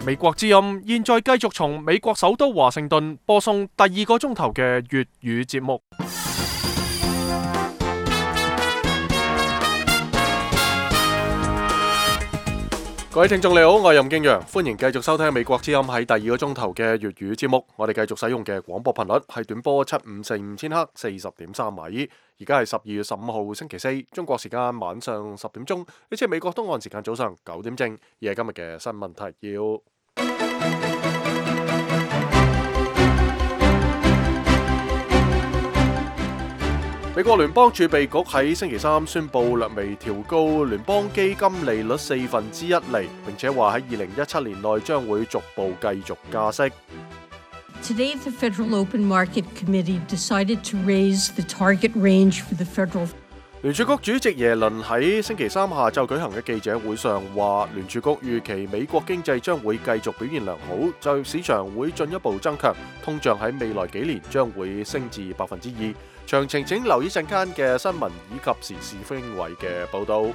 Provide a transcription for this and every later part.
美國之音現在繼續從美國首都華盛頓播送第二個鐘頭嘅粵語節目。各位聽眾你好，我係任敬陽，歡迎繼續收聽美國之音喺第二個鐘頭嘅粵語節目。我哋繼續使用嘅廣播頻率係短波7545千赫40.3米。而家係12月15號星期四，中國時間晚上10點鐘，呢次係美國東岸時間早上9點正。而係今日嘅新聞提要。美國聯邦儲備局喺星期三宣布略微調高聯邦基金利率1/4厘，並且話喺2017年內將會逐步繼續加息。Today, the Federal Open Market Committee decided to raise the target range for the federal. 聯儲局主席耶倫喺星期三下晝舉行嘅記者會上話，聯儲局預期美國經濟將會繼續表現良好，就業市場會進一步增強，通脹喺未來幾年將會升至2%。詳情請留意陣間嘅新聞以及時事經緯嘅報導。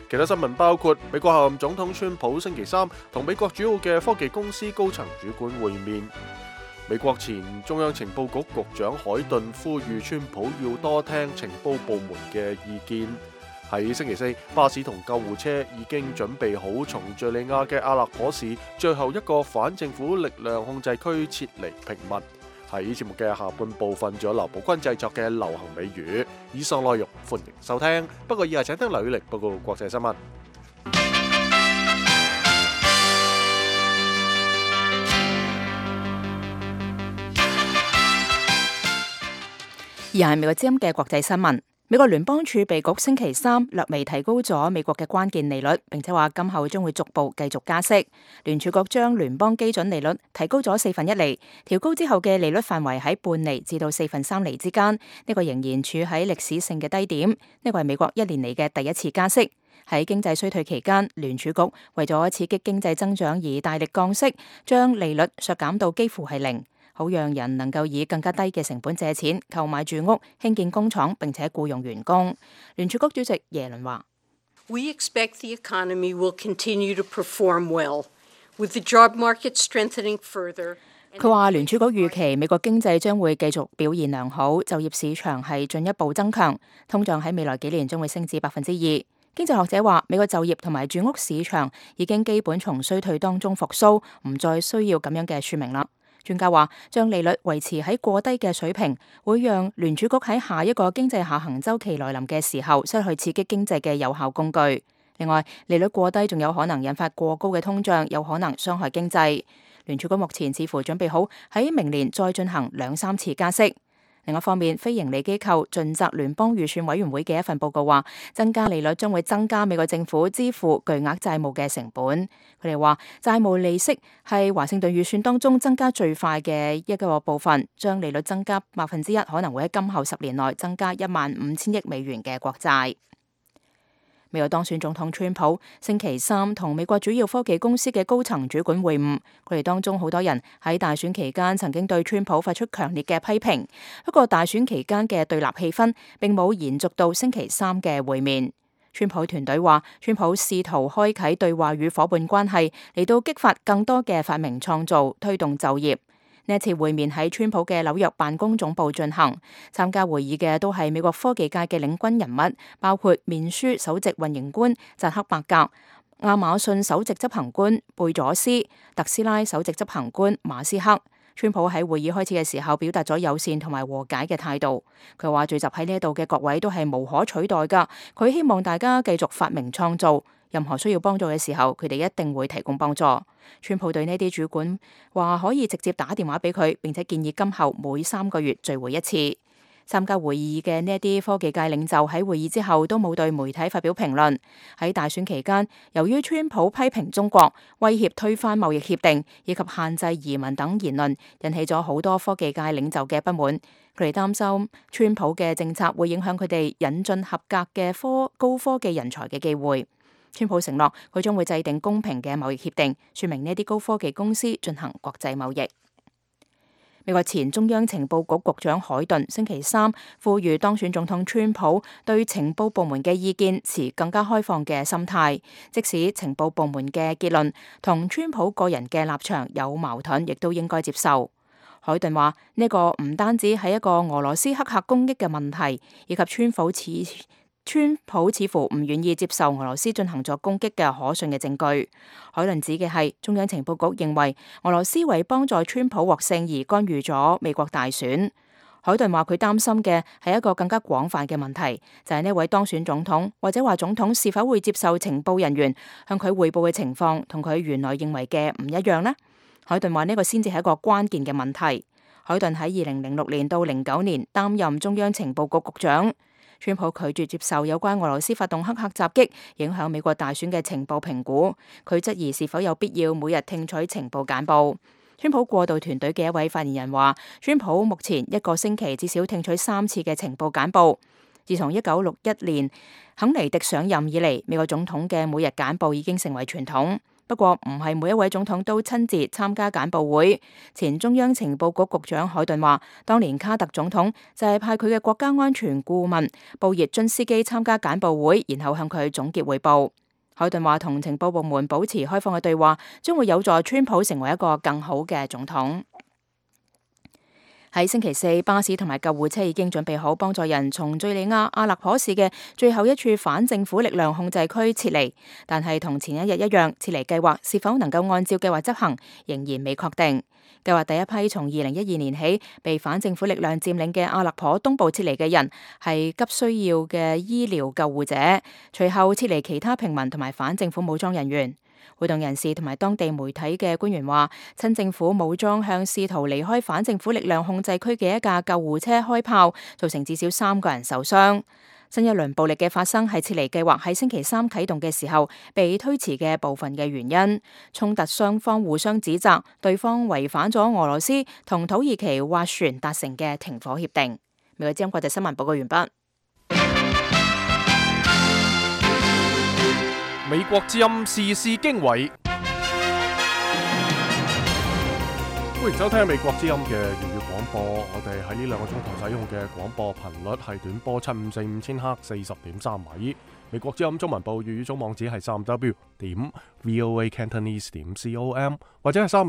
其他新聞包括美國候任總統川普星期三同美國主要嘅科技公司高層主管會面。美國前中央情報局局長海頓呼籲川普要多聽情報部門嘅意見。喺星期四，巴士同救護車已經準備好從敘利亞嘅阿勒頗市最後一個反政府力量控制區撤離平民。喺節目嘅下半部分，仲有劉寶君製作嘅流行美語。以上內容歡迎收聽。不過以下請聽劉宇力報告國際新聞。而係美國之音嘅國際新聞。美國聯邦儲備局星期三略微提高咗美國嘅關鍵利率，並且話今後將會逐步繼續加息。聯儲局將聯邦基準利率提高咗1/4厘，調高之後嘅利率範圍喺半厘至到3/4厘之間。呢個仍然處喺歷史性嘅低點。呢個係美國1年嚟嘅第一次加息。喺經濟衰退期間，聯儲局為咗刺激經濟增長而大力降息，將利率削減到幾乎係零。好讓人能夠以更加低嘅成本借錢購買住屋、興建工廠，並且僱用員工。聯儲局主席耶倫話：We expect the economy will continue to perform well, with the job market strengthening further. 佢話聯儲局預期美國經濟將會繼續表現良好，就業市場係進一步增強，通脹喺未來幾年將會升至2%。經濟學者話，美國就業同埋住屋市場已經基本從衰退當中復甦，唔再需要咁樣嘅說明啦。專家話，將利率維持喺過低嘅水平，會讓聯儲局喺下一個經濟下行週期來臨嘅時候，失去刺激經濟嘅有效工具。另外，利率過低仲有可能引發過高嘅通脹，有可能傷害經濟。聯儲局目前似乎準備好喺明年再進行2-3次加息。另一方面，非營利機構盡責聯邦預算委員會嘅一份報告話，增加利率將會增加美國政府支付巨額債務嘅成本。佢哋話，債務利息係華盛頓預算當中增加最快嘅一個部分，將利率增加1%，可能會喺今後10年內增加15000億美元嘅國債。美國當選總統川普星期三同美國主要科技公司嘅高層主管會晤，佢哋當中好多人喺大選期間曾經對川普發出強烈嘅批評。不過大選期間嘅對立氣氛並冇延續到星期三嘅會面。川普團隊話，川普試圖開啟對話與夥伴關係，嚟到激發更多嘅發明創造，推動就業。呢一次會面喺川普嘅紐約辦公總部進行，參加會議嘅都係美國科技界嘅領軍人物，包括面書首席運營官扎克伯格、亞馬遜首席執行官貝佐斯、特斯拉首席執行官馬斯克。川普喺會議開始嘅時候表達咗友善同埋和解嘅態度。佢話聚集喺呢度嘅各位都係無可取代噶，佢希望大家繼續發明創造。任何需要幫助嘅時候，佢哋一定會提供幫助。川普對呢啲主管話可以直接打電話俾佢，並且建議今後每3個月聚會一次。參加會議嘅呢啲科技界領袖喺會議之後都冇對媒體發表評論。喺大選期間，由於川普批評中國、威脅推翻貿易協定以及限制移民等言論，引起咗好多科技界領袖嘅不滿。佢哋擔心川普嘅政策會影響佢哋引進合格嘅高科技人才嘅機會。川普承諾佢將會制定公平嘅貿易協定，說明呢啲高科技公司進行國際貿易。美國前中央情報局局長海頓星期三呼籲當選總統川普對情報部門嘅意見持更加開放嘅心態，即使情報部門嘅結論同川普個人嘅立場有矛盾，亦都應該接受。海頓話呢個唔單止係一個俄羅斯黑客攻擊嘅問題，以及川普似乎唔願意接受俄羅斯進行咗攻擊嘅可信嘅證據。海頓指嘅係中央情報局認為俄羅斯為幫助川普獲勝而干預咗美國大選。海頓話佢擔心嘅係一個更加廣泛嘅問題，就係呢位當選總統或者話總統是否會接受情報人員向佢匯報嘅情況同佢原來認為嘅唔一樣呢？海頓話呢個先至係一個關鍵嘅問題。海頓喺2006年到09年擔任中央情報局局長。川普拒絕接受有關俄羅斯發動黑客襲擊影響美國大選嘅情報評估，佢質疑是否有必要每日聽取情報簡報。川普過渡團隊嘅一位發言人話，川普目前一個星期至少聽取3次嘅情報簡報。自從1961年肯尼迪上任以嚟，美國總統嘅每日簡報已經成為傳統。不過唔係每一位總統都親自參加簡報會。前中央情報局局長海頓話，當年卡特總統就係派佢嘅國家安全顧問布熱津斯基參加簡報會，然後向佢總結彙報。海頓話同情報部門保持開放嘅對話，將會有助川普成為一個更好嘅總統。喺星期四，巴士同埋救護車已經準備好幫助人從敘利亞阿勒頗市嘅最後一處反政府力量控制區撤離，但係同前一日一樣，撤離計劃是否能夠按照計劃執行，仍然未確定。計劃第一批從2012年起被反政府力量佔領嘅阿勒頗東部撤離嘅人係急需要嘅醫療救護者，隨後撤離其他平民同埋反政府武裝人員。活動人士同埋當地媒體嘅官員話，親政府武裝向試圖離開反政府力量控制區嘅一架救護車開炮，造成至少3個人受傷。新一輪暴力嘅發生係撤離計劃喺星期三啟動嘅時候被推遲嘅部分嘅原因。衝突雙方互相指責對方違反咗俄羅斯同土耳其斡旋達成嘅停火協定。美國之音國際新聞報告完畢。美國之音時事經緯，歡迎收聽美國之音嘅粵語廣播。我哋喺呢2個鐘頭使用嘅廣播頻率係短波754 5000赫 40.3米。美國之音中文部粵語總網址係3w.voacantonese.com 或者係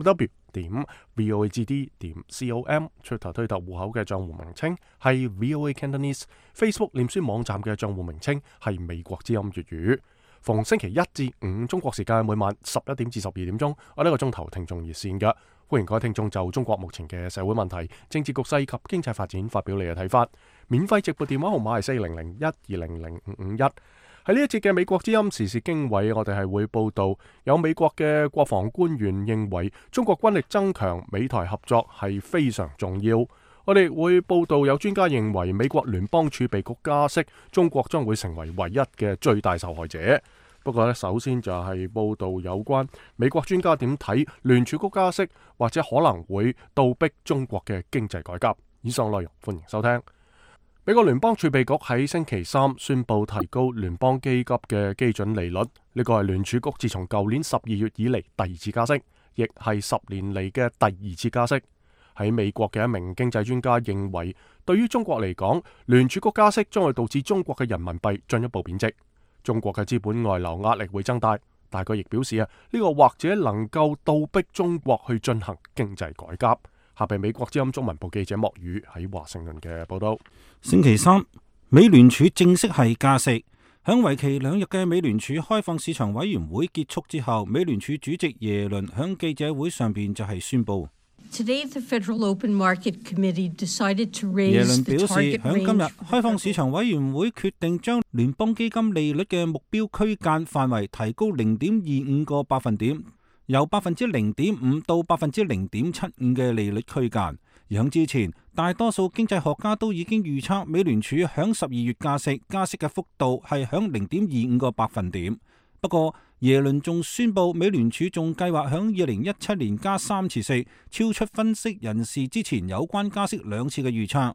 3w.voagd.com。Twitter 推特戶口嘅賬戶名稱係 VOA Cantonese。Facebook 臉書網站嘅賬戶名稱係美國之音粵語。逢星期1至5中國時間每晚11點至12點鐘，我呢個鐘頭聽眾熱線嘅，歡迎各位聽眾就中國目前嘅社會問題、政治局勢及經濟發展發表你嘅睇法。免費直撥電話號碼係4001200551。喺呢一節嘅美國之音時事經緯，我哋係會報道有美國嘅國防官員認為中國軍力增強，美台合作係非常重要。我哋會報道有專家認為美國聯邦儲備局加息，中國將會成為唯一嘅最大受害者。不過首先就係報道有關美國專家點睇聯儲局加息，或者可能會倒逼中國嘅經濟改革。以上內容歡迎收聽。美國聯邦儲備局喺星期三宣布提高聯邦基金嘅基準利率，呢個係聯儲局自從舊年12月以嚟第2次加息，亦係10年嚟嘅第2次加息。喺美國嘅一名經濟專家認為，對於中國嚟講，聯儲局加息將會導致中國嘅人民幣進一步貶值，中國嘅資本外流壓力會增大。但佢亦表示呢個或者能夠倒逼中國去進行經濟改革。下邊美國之音中文部記者莫宇喺華盛頓嘅報道。星期三，美聯儲正式係加息。響為期2日嘅美聯儲開放市場委員會結束之後，美聯儲主席耶倫響記者會上邊就係宣布。Today, the Federal Open Market Committee decided to raise 耶倫表示， the target 響今日開放市場委員會決定將聯邦基金利率嘅目標區間範圍提高0.25個百分點，由 0.5% 到 0.75% 嘅利率區間。而響之前，大多數經濟學家都已經預測美聯儲響12月加息嘅幅度係響 0.25個百分點。不過耶倫仲宣布，美聯儲仲計劃響2017年加3次息，超出分析人士之前有關加息2次嘅預測。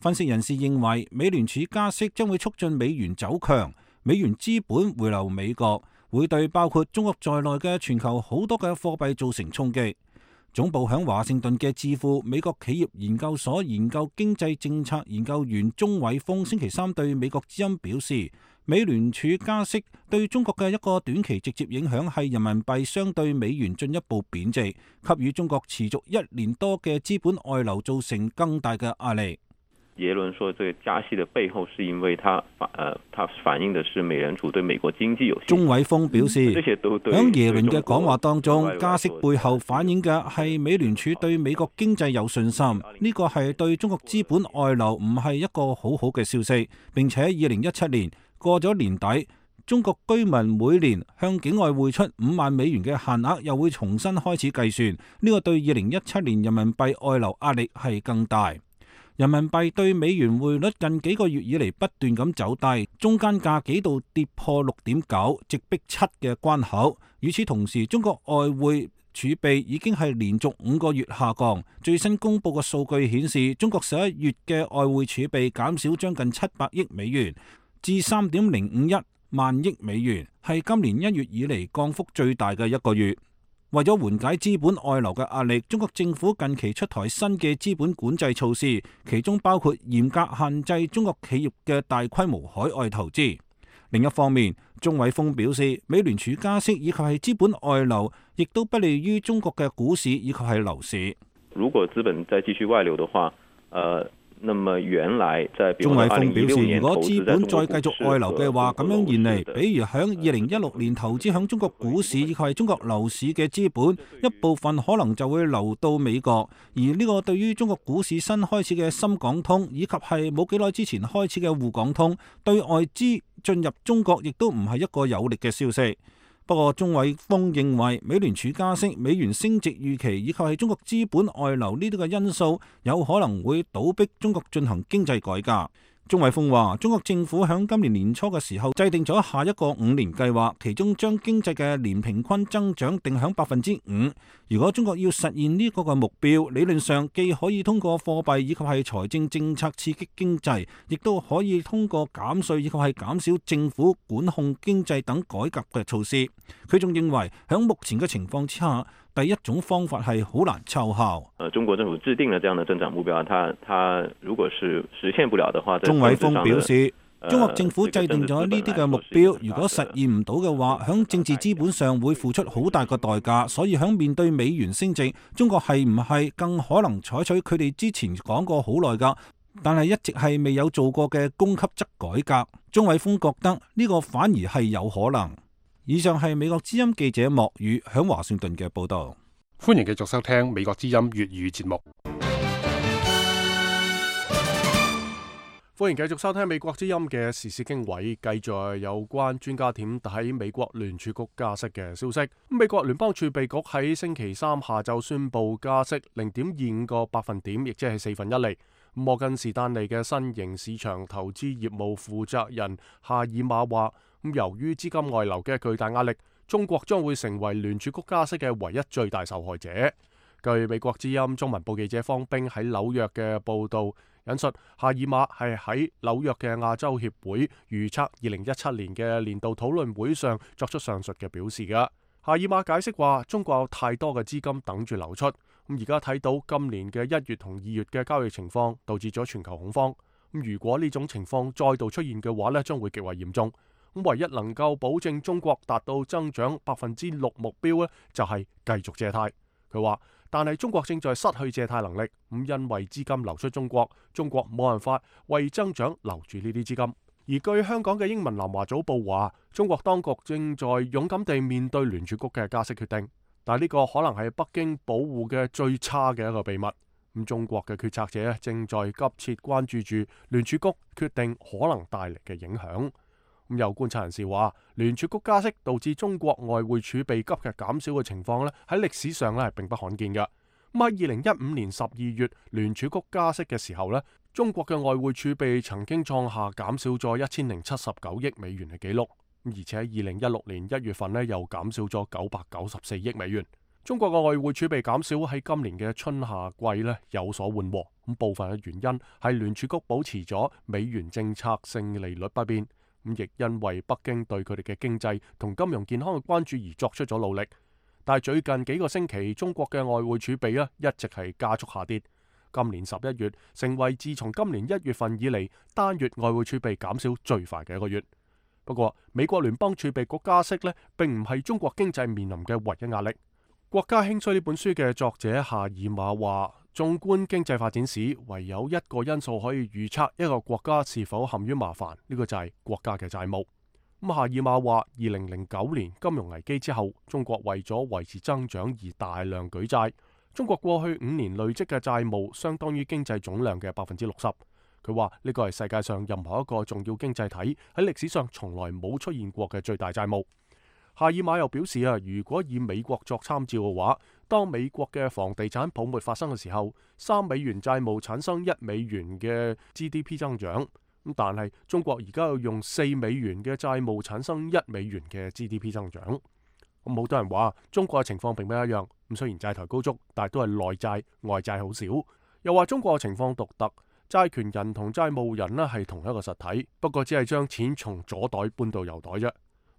分析人士認為，美聯儲加息將會促進美元走強，美元資本回流美國，會對包括中國在內嘅全球好多嘅貨幣造成衝擊。總部響華盛頓嘅智庫美國企業研究所研究經濟政策研究員鍾偉峰星期三對美國之音表示，美聯儲加息對中國嘅一個短期直接影響係人民幣相對美元進一步貶值，給予中國持續1年多嘅資本外流造成更大嘅壓力。耶倫說，這個加息的背後是因為它反映的是美聯儲對美國經濟有信心。鍾偉峰表示，響耶倫嘅講話當中，加息背後反映嘅係美聯儲對美國經濟有信心，呢個係對中國資本外流唔係一個好好嘅消息。並且2017年過咗年底，中國居民每年向境外匯出5萬美元嘅限額又會重新開始計算，呢個對2017年人民幣外流壓力係更大。人民幣對美元匯率近幾個月以嚟不斷咁走低，中間價幾度跌破6.9，直逼7嘅關口。與此同時，中國外匯儲備已經係連續5個月下降。最新公布嘅數據顯示，中國11月嘅外匯儲備減少將近700億美元，至3.051萬億美元，係今年1月以嚟降幅最大嘅一個月。為咗緩解資本外流嘅壓力，中國政府近期出台新嘅資本管制措施，其中包括嚴格限制中國企業嘅大規模海外投資。另一方面，鍾偉峰表示，美聯儲加息以及係資本外流，亦都不利於中國嘅股市以及係樓市。如果資本再繼續外流的話，那麼原來在鍾偉峰表示，如果資本再繼續外流嘅話，咁樣現嚟，比如響2016年投資響中國股市以及係中國樓市嘅資本，一部分可能就會流到美國，而呢個對於中國股市新開始嘅深港通，以及係冇幾耐之前開始嘅滬港通，對外資進入中國亦都唔係一個有力嘅消息。不過，鍾偉峰認為美聯儲加息、美元升值預期以及係中國資本外流呢啲嘅因素，有可能會倒逼中國進行經濟改革。鍾偉峰話：中國政府響今年年初嘅時候制定咗下一個5年計劃，其中將經濟嘅年平均增長定響5%。如果中國要實現呢個嘅目標，理論上既可以通過貨幣以及係財政政策刺激經濟，亦都可以通過減稅以及係減少政府管控經濟等改革嘅措施。佢仲認為響目前嘅情況之下，第一種方法係好難奏效。中國政府制定了這樣的增長目標，它如果是實現不了的話，鍾偉峰表示，中國政府制定咗呢啲嘅目標，如果實現唔到嘅話，響政治資本上會付出好大個代價。所以響面對美元升值，中國係唔係更可能採取佢哋之前講過好耐㗎，但係一直係未有做過嘅供給側改革？鍾偉峰覺得呢個反而係有可能。以上係美國之音記者莫宇響華盛頓嘅報道。歡迎繼續收聽美國之音粵語節目。歡迎繼續收聽美國之音嘅時事經緯，繼續有關專家點睇美國聯儲局加息嘅消息。美國聯邦儲備局喺星期三下晝宣布加息0.25個百分點，亦即係1/4厘。摩根士丹利嘅新型市場投資業務負責人夏爾馬話，由於資金外流嘅巨大壓力，中國將會成為聯儲局加息嘅唯一最大受害者。據美國之音中文部記者方冰喺紐約嘅報道引述，夏爾馬係喺紐約嘅亞洲協會預測2017年嘅年度討論會上作出上述嘅表示嘅。夏爾馬解釋話，中國有太多嘅資金等住流出，咁而家睇到今年嘅1月同2月嘅交易情況，導致咗全球恐慌。咁如果呢種情況再度出現嘅話呢，將會極為嚴重。咁唯一能夠保證中國達到增長6%目標呢，就係繼續借貸。佢話，但係中國正在失去借貸能力，咁因為資金流出中國，中國冇辦法為增長留住呢啲資金。而據香港嘅英文南華早報話，中國當局正在勇敢地面對聯儲局嘅加息決定，但係呢個可能係北京保護嘅最差嘅一個秘密。咁中國嘅決策者正在急切關注住聯儲局決定可能帶嚟嘅影響。咁有觀察人士話，聯儲局加息導致中國外匯儲備急劇減少嘅情況咧，喺歷史上咧係並不罕見嘅。咁喺2015年12月聯儲局加息嘅時候咧，中國嘅外匯儲備曾經創下減少咗1079億美元嘅紀錄，而且喺2016年1月份咧又減少咗994億美元。中國嘅外匯儲備減少喺今年嘅春夏季咧有所緩和，咁部分嘅原因係聯儲局保持咗美元政策性利率不變。咁亦因為北京對佢哋嘅經濟同金融健康嘅關注而作出咗努力，但係最近幾個星期，中國嘅外匯儲備一直係加速下跌。今年11月成為自從今年1月份以嚟單月外匯儲備減少最快嘅一個月。不過，美國聯邦儲備局加息呢，並唔係中國經濟面臨嘅唯一壓力。《國家興衰》呢本書嘅作者夏爾馬話，縱觀經濟發展史，唯有一個因素可以預測一個國家是否陷於麻煩，呢個就係國家嘅債務。咁夏爾馬話，2009年金融危機之後，中國為咗維持增長而大量舉債。中國過去5年累積嘅債務相當於經濟總量嘅60%。佢話呢個係世界上任何一個重要經濟體喺歷史上從來冇出現過嘅最大債務。夏爾馬又表示如果以美國作參照嘅話，當美國嘅房地產泡沫發生嘅時候，3美元債務產生1美元嘅 GDP 增長。但係中國而家要用4美元嘅債務產生1美元嘅 GDP 增長。咁好多人話中國嘅情況並不一樣。咁雖然債台高築，但係都係內債，外債好少。又話中國嘅情況獨特，債權人同債務人係同一個實體，不過只係將錢從左袋搬到右袋啫。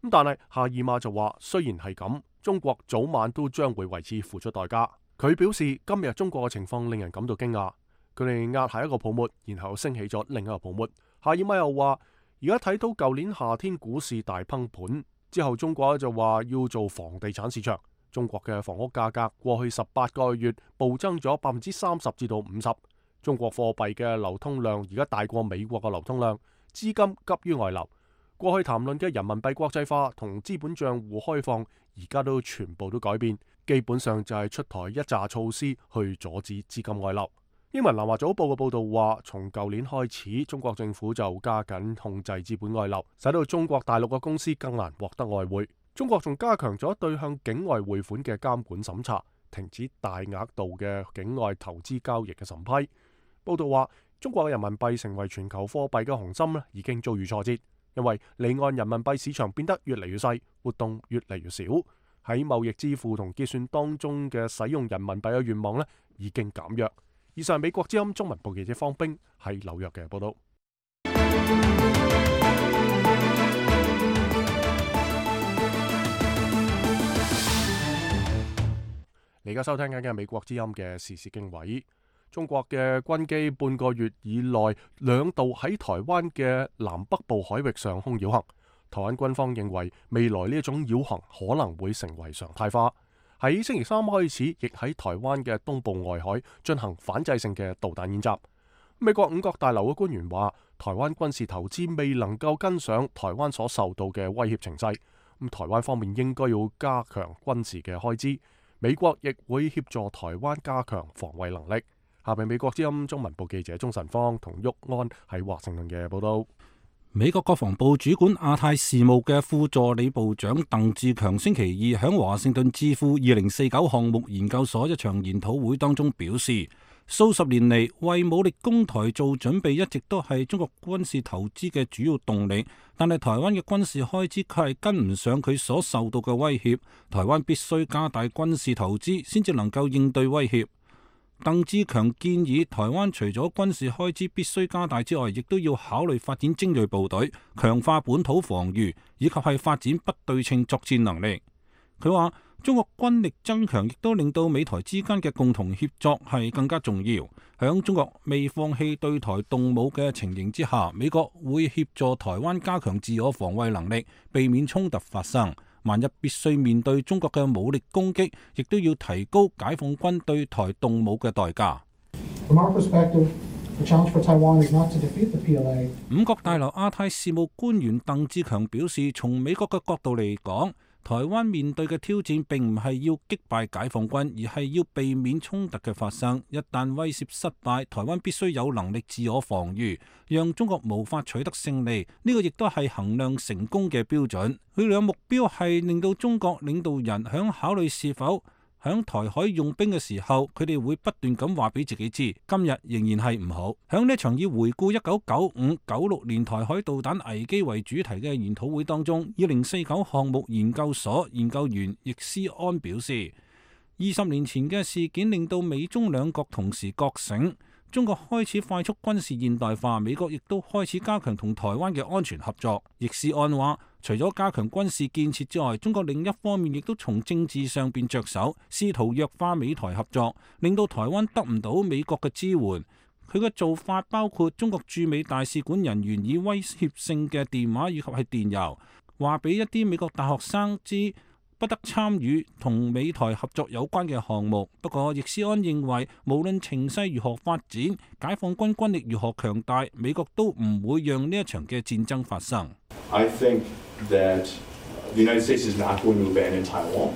咁但係夏爾馬就話，雖然係咁，中國早晚都將會為此付出代價。佢表示今日中國嘅情況令人感到驚訝，佢哋壓下一個泡沫，然後升起咗另一個泡沫。夏爾馬又話，而家睇到舊年夏天股市大崩盤之後，中國就話要做房地產市場。中國嘅房屋價格過去18個月暴增咗30%至到50%。中國貨幣嘅流通量而家大過美國嘅流通量，資金急於外流。過去談論嘅人民幣國際化同資本賬戶開放，而家都全部都改變，基本上就係出台一紮措施去阻止資金外流。英文南華早報嘅報道話，從舊年開始，中國政府就加緊控制資本外流，使到中國大陸嘅公司更難獲得外匯。中國仲加強咗對向境外匯款嘅監管審查，停止大額度嘅境外投資交易嘅審批。報道話，中國嘅人民幣成為全球貨幣嘅雄心已經遭遇挫折，因為離岸人民幣市場變得越嚟越細，活動越嚟越少，喺貿易支付同結算當中嘅使用人民幣嘅願望已經減弱。以上美國之音中文部記者方冰喺紐約嘅報道。你而家收聽緊嘅美國之音嘅時事經緯。中國嘅軍機半個月以內2度喺台灣嘅南北部海域上空繞行。台灣軍方認為未來呢一種繞行可能會成為常態化。喺星期3開始，亦喺台灣嘅東部外海進行反制性嘅導彈演習。美國五角大樓嘅官員話，台灣軍事投資未能夠跟上台灣所受到嘅威脅情勢。台灣方面應該要加強軍事嘅開支。美國亦會協助台灣加強防衛能力。下邊美國之音中文部記者鍾晨芳同郁安喺華盛頓嘅報道。美國國防部主管亞太事務嘅副助理部長鄧志強星期二喺華盛頓智庫2049項目研究所一場研討會當中表示，數十年嚟為武力攻台做準備一直都係中國軍事投資嘅主要動力，但係台灣嘅軍事開支卻係跟唔上佢所受到嘅威脅，台灣必須加大軍事投資先至能夠應對威脅。鄧志強建議台灣除咗軍事開支必須加大之外，亦都要考慮發展精銳部隊，強化本土防禦，以及係發展不對稱作戰能力。佢話中國軍力增強亦都令到美台之間嘅共同協作係更加重要。響中國未放棄對台動武嘅情形之下，美國會協助台灣加強自我防衛能力，避免衝突發生。萬一必須面對中國嘅武力攻擊，亦都要提高解放軍對台動武嘅代價。五角大樓亞太事務官員鄧志強表示，從美國嘅角度嚟講，台灣面對嘅挑戰並唔係要擊敗解放軍，而係要避免衝突嘅發生。一旦威懾失敗，台灣必須有能力自我防禦，讓中國無法取得勝利。呢個亦都係衡量成功嘅標準。佢哋嘅目標係令到中國領導人響考慮是否響台海用兵嘅時候，佢哋會不斷咁話俾自己知，今日仍然係唔好。響呢場以回顧1995-96年台海導彈危機為主題嘅研討會當中，2049項目研究所研究員易思安表示，20年前嘅事件令到美中兩國同時覺醒，中國開始快速軍事現代化，美國亦都開始加強同台灣嘅安全合作。易思安話，除咗加強軍事建設之外，中國另一方面亦都從政治上邊着手，試圖弱化美台合作，令到台灣得唔到美國嘅支援。佢嘅做法包括中國駐美大使館人員以威脅性嘅電話以及係電郵，話俾一啲美國大學生知不得參與同美台合作有關嘅項目。不過，易思安認為，無論情勢如何發展，解放軍軍力如何強大，美國都唔會讓呢一場嘅戰爭發生。I think that the United States is not going to abandon Taiwan.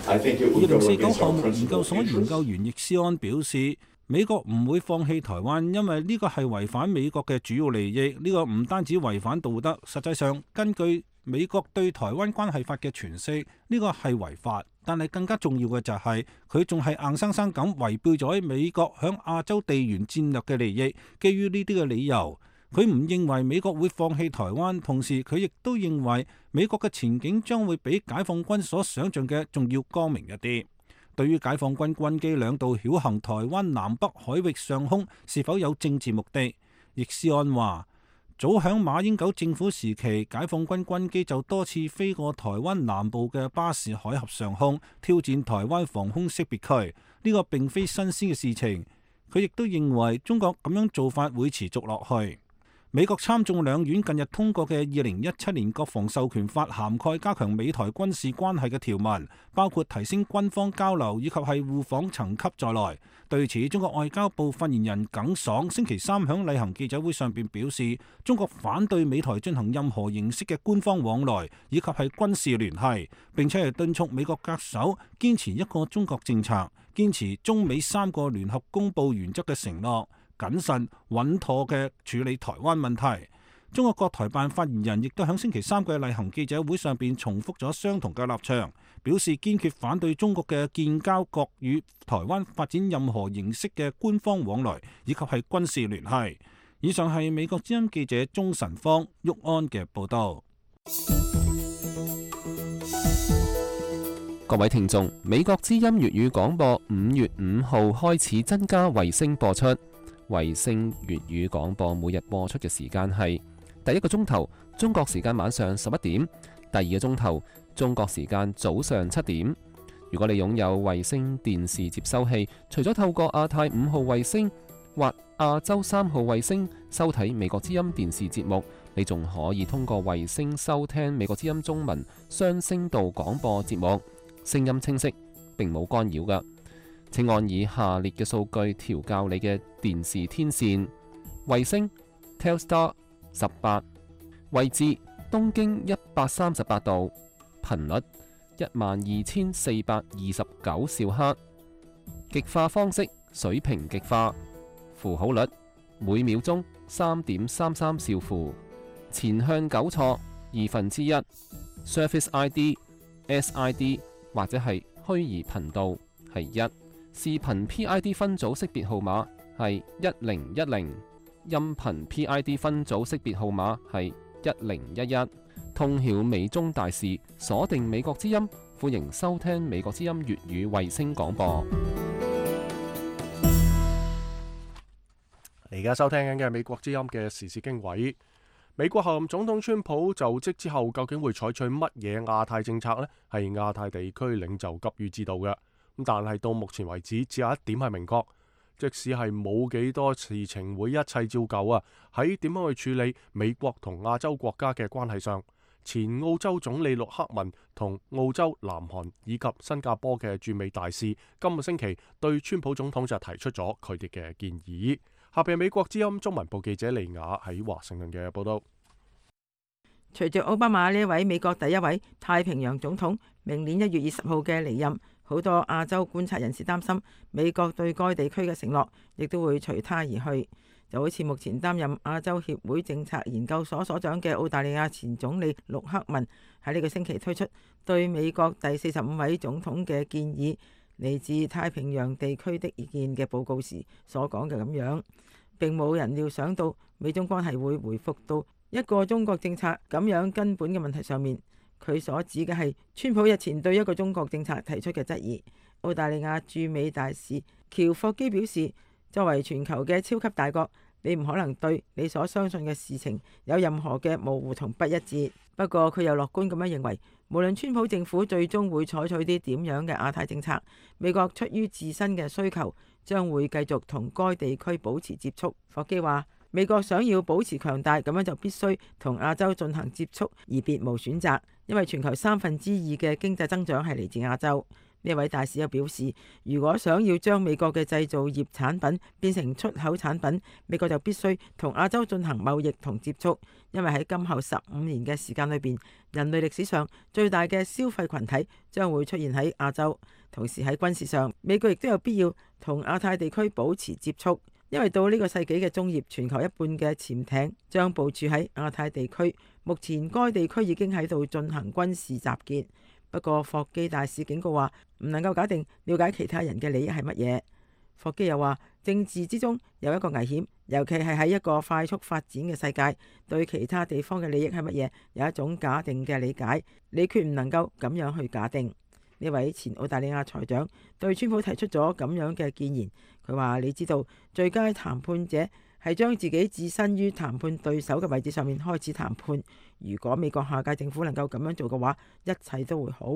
I think it will go against our principles. 2049項目研究所研究員易思安表示，美國唔會放棄台灣，因為呢個係違反美國嘅主要利益。呢個唔單止違反道德，實際上根據美國對台灣關係法嘅詮釋，呢個係違法。但係更加重要嘅就係佢仲係硬生生咁違背咗美國響亞洲地緣戰略嘅利益。基於呢啲嘅理由，佢唔認為美國會放棄台灣，同時佢亦都認為美國嘅前景將會比解放軍所想像嘅仲要光明一啲。對於解放軍軍機兩度繞行台灣南北海域上空是否有政治目的，易思安話，早響馬英九政府時期，解放軍軍機就多次飛過台灣南部嘅巴士海峽上空，挑戰台灣防空識別區。呢個並非新鮮嘅事情。佢亦都認為中國咁樣做法會持續落去。美國參眾兩院近日通過嘅2017年國防授權法涵蓋加強美台軍事關係嘅條文，包括提升軍方交流以及係互訪層級在內。對此，中國外交部發言人耿爽星期三響例行記者會上邊表示，中國反對美台進行任何形式嘅官方往來以及係軍事聯繫，並且係敦促美國恪守堅持一個中國政策，堅持中美3個聯合公報原則嘅承諾，謹慎穩妥嘅處理台灣問題。中國國台辦發言人亦都喺星期三嘅例行記者會上邊重複咗相同嘅立場，表示堅決反對中國嘅建交國與台灣發展任何形式嘅官方往來以及係軍事聯繫。以上係美國之音記者鍾晨芳、郁安嘅報道。各位聽眾，美國之音粵語廣播5月5號開始增加衛星播出。衛星粵語廣播每日播出嘅時間係第一個鐘頭中國時間晚上11點，第二個鐘頭中國時間早上7點。如果你擁有衛星電視接收器，除咗透過亞太5號衛星或亞洲3號衛星收睇美國之音電視節目，你仲可以通過衛星收聽美國之音中文雙聲道廣播節目，聲音清晰，並冇干擾㗎。請按以下列嘅數據調校你嘅電視天線：衛星 Telstar 18，位置東經138度，頻率12429兆赫，極化方式水平極化，符號率每秒鐘3.33兆符，前向糾錯1/2， Surface ID、SID 或者係虛擬頻道係1。視頻 PID 分組識別號碼係1010，音頻 PID 分組識別號碼係1011。通曉美中大事，鎖定美國之音，歡迎收聽美國之音粵語衛星廣播。而家收聽緊嘅係美國之音嘅時事經緯。美國候任總統川普就職之後，究竟會採取乜嘢亞太政策呢？係亞太地區領袖急於知道嘅。但係到目前為止，只有一點係明確，即使係冇幾多事情會一切照舊啊，喺點樣去處理美國同亞洲國家嘅關係上，前澳洲總理陸克文同澳洲、南韓以及新加坡嘅駐美大使今個星期對川普總統就提出咗佢哋嘅建議。下邊美國之音中文部記者利雅喺華盛頓嘅報道。隨住奧巴馬呢位美國第一位太平洋總統明年1月20號嘅離任，好多亞洲觀察人士擔心美國對該地區嘅承諾亦都會隨他而去。就好似目前擔任亞洲協會政策研究所所長嘅澳大利亞前總理陸克文喺呢個星期推出對美國第45位總統嘅建議，嚟自太平洋地區的意見嘅報告時所講嘅咁樣，並冇人料想到美中關係會回復到一個中國政策咁樣根本嘅問題上面。佢所指嘅係川普日前對一個中國政策提出嘅質疑。澳大利亞駐美大使喬霍基表示，作為全球嘅超級大國，你唔可能對你所相信嘅事情有任何嘅模糊同不一致。不過佢又樂觀咁樣認為，無論川普政府最終會採取啲點樣嘅亞太政策，美國出於自身嘅需求，將會繼續同該地區保持接觸。霍基話，美國想要保持強大，咁樣就必須同亞洲進行接觸，而別無選擇，因為全球2/3嘅經濟增長係嚟自亞洲。呢位大使又表示，如果想要將美國嘅製造業產品變成出口產品，美國就必須同亞洲進行貿易同接觸，因為喺今後15年嘅時間裏邊，人類歷史上最大嘅消費群體將會出現喺亞洲。同時喺軍事上，美國亦都有必要同亞太地區保持接觸，因為到呢個世紀嘅中葉，全球一半嘅潛艇將部署喺亞太地區。目前該地區已經喺度進行軍事集結。不過霍基大使警告話，唔能夠假定了解其他人嘅利益係乜嘢。霍基又話，政治之中有一個危險，尤其係喺一個快速發展嘅世界，對其他地方嘅利益係乜嘢有一種假定嘅理解，你決唔能夠咁樣去假定。呢位前澳大利亞財長對川普提出咗咁樣嘅建言，佢話，你知道最佳談判者係將自己置身於談判對手嘅位置上面開始談判。如果美國下屆政府能夠咁樣做嘅話，一切都會好。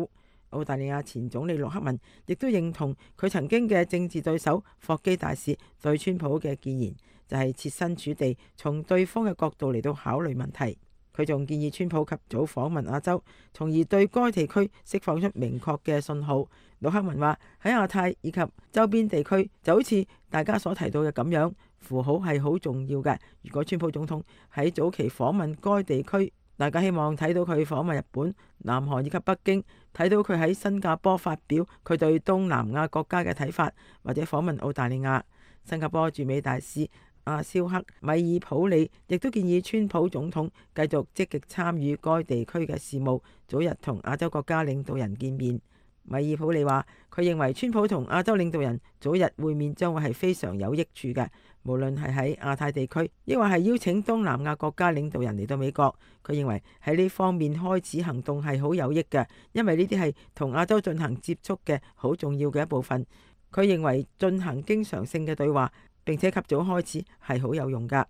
澳大利亞前總理陸克文亦都認同佢曾經嘅政治對手霍基大使對川普嘅建言，就係設身處地從對方嘅角度嚟到考慮問題。佢仲建議川普及早訪問亞洲，從而對該地區釋放出明確嘅信號。陸克文話，喺亞太以及周邊地區就好似大家所提到嘅咁樣，符號係好重要嘅。如果川普總統喺早期訪問該地區，大家希望睇到佢訪問日本、南韓以及北京，睇到佢喺新加坡發表佢對東南亞國家嘅睇法，或者訪問澳大利亞。新加坡駐美大使阿肖克米爾普里亦都建議川普總統繼續積極參與該地區嘅事務，早日同亞洲國家領導人見面。米爾普里話，佢認為川普同亞洲領導人早日會面將會係非常有益處嘅，無論係喺亞太地區，抑或係邀請東南亞國家領導人嚟到美國。佢認為喺呢方面開始行動係好有益嘅，因為呢啲係同亞洲進行接觸嘅好重要嘅一部分。佢認為進行經常性嘅對話，並且及早開始係好有用㗎。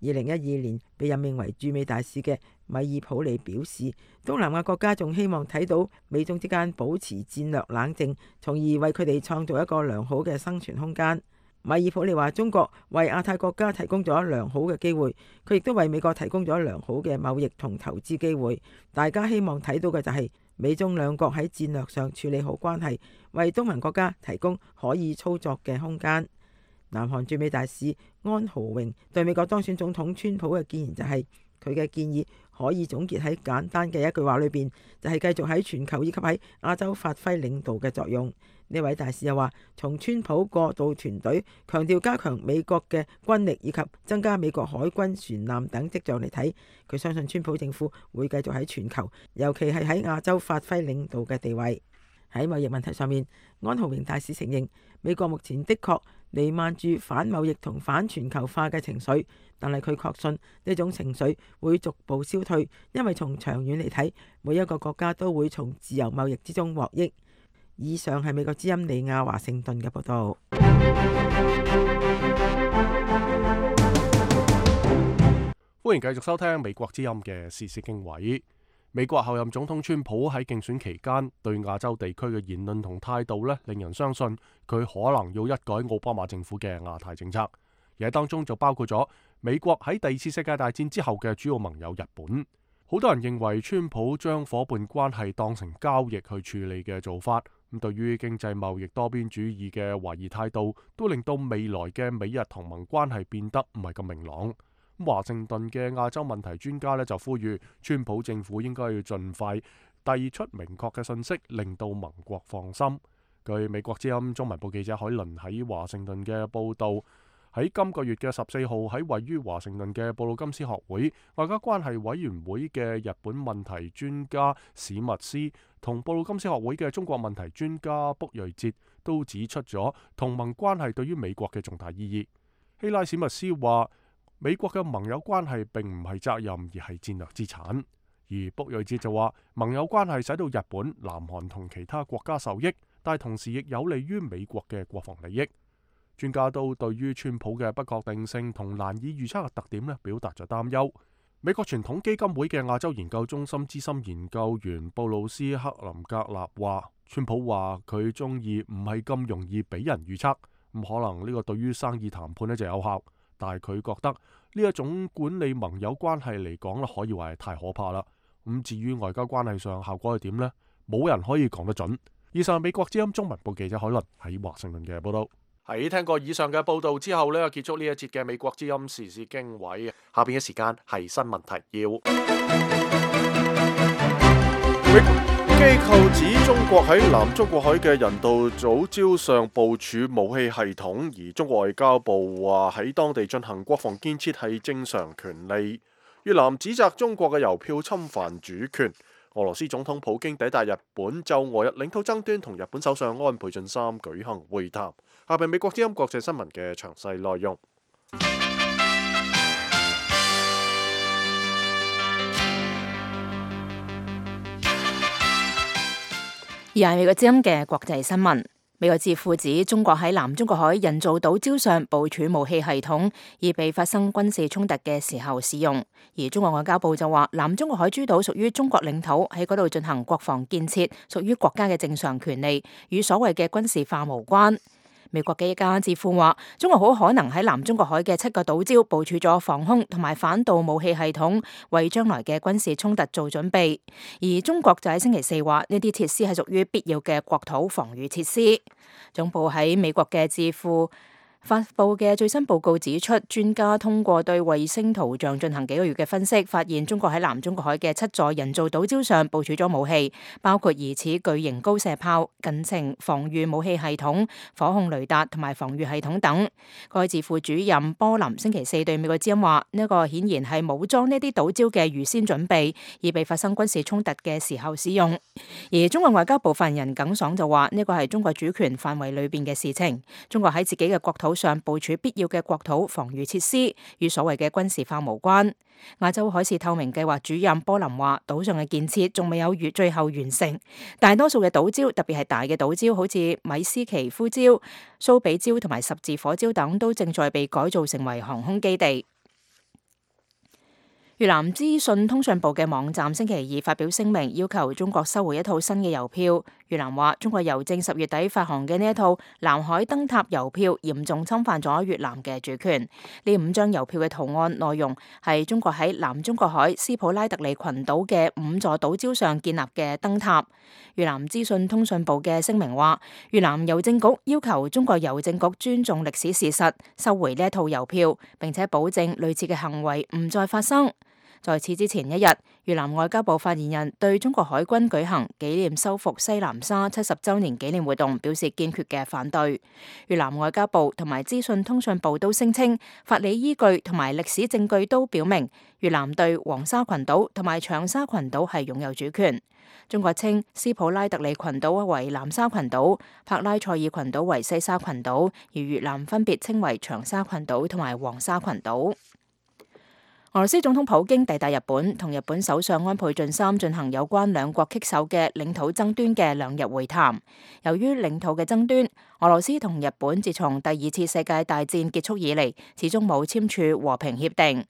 2012年被任命為駐美大使嘅米爾普利表示，東南亞國家仲希望睇到美中之間保持戰略冷靜，從而為佢哋創造一個良好嘅生存空間。米爾普利話，中國為亞太國家提供咗良好嘅機會，佢亦都為美國提供咗良好嘅貿易同投資機會。大家希望睇到嘅就係美中兩國喺戰略上處理好關係，為東盟國家提供可以操作嘅空間。南韓駐美大使安豪榮對美國當選總統川普嘅建言就係，佢嘅建議可以總結喺簡單嘅一句話裏邊，就係繼續喺全球以及喺亞洲發揮領導嘅作用。呢位大使又話，從川普過渡團隊強調加強美國嘅軍力以及增加美國海軍船艦等跡象嚟睇，佢相信川普政府會繼續喺全球，尤其係喺亞洲發揮領導嘅地位。喺貿易問題上面，安豪榮大使承認美國目前的確瀰漫住反貿易同反全球化嘅情緒，但係佢確信呢種情緒會逐步消退，因為從長遠嚟睇，每一個國家都會從自由貿易之中獲益。以上係美國之音李亞華盛頓嘅報道。歡迎繼續收聽美國之音嘅時事經緯。美國候任總統川普喺競選期間對亞洲地區嘅言論同態度令人相信佢可能要一改奧巴馬政府嘅亞太政策，而喺當中就包括咗美國喺第二次世界大戰之後嘅主要盟友日本。好多人認為川普將伙伴關係當成交易去處理嘅做法，咁對於經濟貿易多邊主義嘅懷疑態度，都令到未來嘅美日同盟關係變得唔係咁明朗。華盛頓嘅亞洲問題專家就呼籲川普政府應該要盡快遞出明確嘅信息，令到盟國放心。據美國之音中文部記者海倫喺華盛頓嘅報導，喺今個月嘅14號喺位於華盛頓嘅布魯金斯學會外交關係委員會嘅日本問題專家史密斯同布魯金斯學會嘅中國問題專家卜瑞哲都指出咗同盟關係對於美國嘅重大意義。希拉史密斯話，美國嘅盟友關係並唔係責任，而係戰略資產。而卜瑞哲就話，盟友關係使到日本、南韓同其他國家受益，但同時亦有利於美國嘅國防利益。專家都對於川普嘅不確定性同難以預測嘅特點表達咗擔憂。美國傳統基金會嘅亞洲研究中心資深研究員布魯斯克林格納話，川普話佢中意唔係咁容易俾人預測，咁可能呢個對於生意談判就有效，但係佢覺得呢一種管理盟友關係嚟講可以話係太可怕啦。咁至於外交關係上效果係點呢？冇人可以講得準。以上係美國之音中文部記者海倫喺華盛頓嘅報道。喺聽過以上嘅報道之後呢，結束呢一節嘅美國之音時事經緯。下邊嘅時間係新聞提要。機構指中國喺南中國海嘅人道組礁上部署武器系統，而中國外交部話喺當地進行國防建設係正常權利。越南指責中國嘅郵票侵犯主權。俄羅斯總統普京抵達日本，就俄日領土爭端同日本首相安倍晉三舉行會談。下邊美國之音國際新聞嘅詳細內容。而係美國之音嘅國際新聞。美國智庫指中國喺南中國海人造島礁上部署武器系統，以備發生軍事衝突嘅時候使用。而中國外交部就話，南中國海諸島屬於中國領土，喺嗰度進行國防建設，屬於國家嘅正常權利，與所謂嘅軍事化無關。美國嘅一家智庫話，中國好可能喺南中國海嘅7個島礁部署咗防空同埋反導武器系統，為將來嘅軍事衝突做準備。而中國就喺星期4話，呢啲設施係屬於必要嘅國土防禦設施。總部喺美國嘅智庫發布嘅最新報告指出，專家通過對衛星圖像進行幾個月嘅分析，發現中國喺南中國海嘅7座人造島礁上部署咗武器，包括疑似巨型高射炮、近程防禦武器系統、火控雷達同埋防禦系統等。該智庫主任波林星期4對美國之音話，呢個顯然係武裝呢啲島礁嘅預先準備，以備發生軍事衝突嘅時候使用。而中國外交部發言人耿爽就話，呢個係中國主權範圍裏邊嘅事情，中國喺自己嘅國土上部署必要嘅國土防禦設施，與所謂嘅軍事化無關。亞洲海事透明計劃主任波林話，島上嘅建設仲未有最後完成，大多數嘅島礁，特別係大嘅島礁，好似米斯奇夫礁、蘇比礁同埋十字火礁等，都正在被改造成為航空基地。越南資訊通訊部嘅網站星期2發表聲明，要求中國收回一套新嘅郵票。越南話，中國郵政10月底發行嘅呢一套南海燈塔郵票嚴重侵犯咗越南嘅主權。呢5張郵票嘅圖案內容係中國喺南中國海斯普拉特里群島嘅5座島礁上建立嘅燈塔。越南資訊通訊部嘅聲明話，越南郵政局要求中國郵政局尊重歷史事實，收回呢一套郵票，並且保證類似嘅行為唔再發生。在此之前一日，越南外交部發言人對中國海軍舉行紀念收復西南沙70週年紀念活動表示堅決嘅反對。越南外交部同埋資訊通訊部都聲稱，法理依據同埋歷史證據都表明，越南對黃沙群島同埋長沙群島係擁有主權。中國稱斯普拉特里群島為南沙群島，帕拉塞爾群島為西沙群島，而越南分別稱為長沙群島同埋黃沙群島。俄羅斯總統普京抵達日本，同日本首相安倍晉三進行有關兩國棘手嘅領土爭端嘅2日會談。由於領土嘅爭端，俄羅斯同日本自從第2次世界大戰結束以嚟，始終冇簽署和平協定。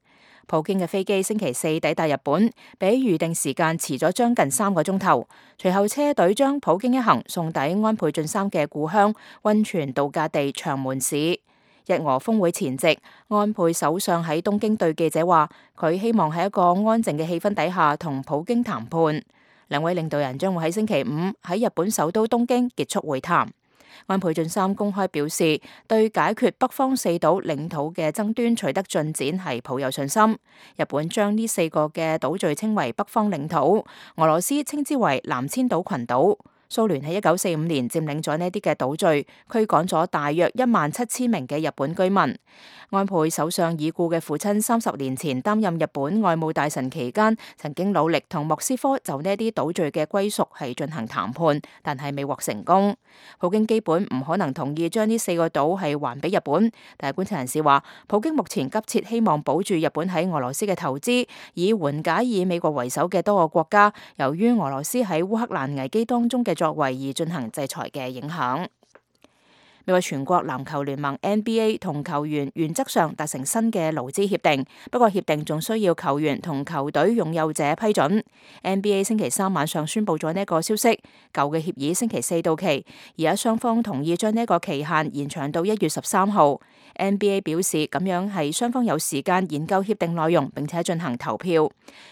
普京嘅飛機星期4抵達日本，比預定時間遲咗將近3個鐘頭。隨後車隊將普京一行送抵安倍晉三嘅故鄉溫泉度假地長門市。日俄峰會前夕，安倍首相喺東京對記者話，佢希望喺一個安靜嘅氣氛底下同普京談判。兩位領導人將會喺星期5喺日本首都東京結束會談。安倍晉三公開表示，對解決北方4島領土嘅爭端取得進展係抱有信心。日本將呢4個嘅島嶼稱為北方領土，俄羅斯稱之為南千島群島。蘇聯喺1945年佔領咗呢啲嘅島嶼，驅趕咗大約17000名嘅日本居民。安倍首相已故嘅父親30年前擔任日本外務大臣期間，曾經努力同莫斯科就呢啲島嶼嘅歸屬係進行談判，但係未獲成功。普京基本唔可能同意將呢4個島係還俾日本，但係觀察人士話，普京目前急切希望保住日本喺俄羅斯嘅投資，以緩解以美國為首嘅多個國家由於俄羅斯喺烏克蘭危機當中嘅作為而進行制裁嘅影響。美國全國籃球聯盟 NBA 同球員原則上達成新嘅勞資協定，不過協定仲需要球員同球隊擁有者批准。NBA 星期三晚上宣布咗呢個消息，舊嘅協議星期四到期，而家雙方同意將呢個期限延長到1月13號。NBA 表示咁樣係雙方有時間研究協定內容，並且進行投票。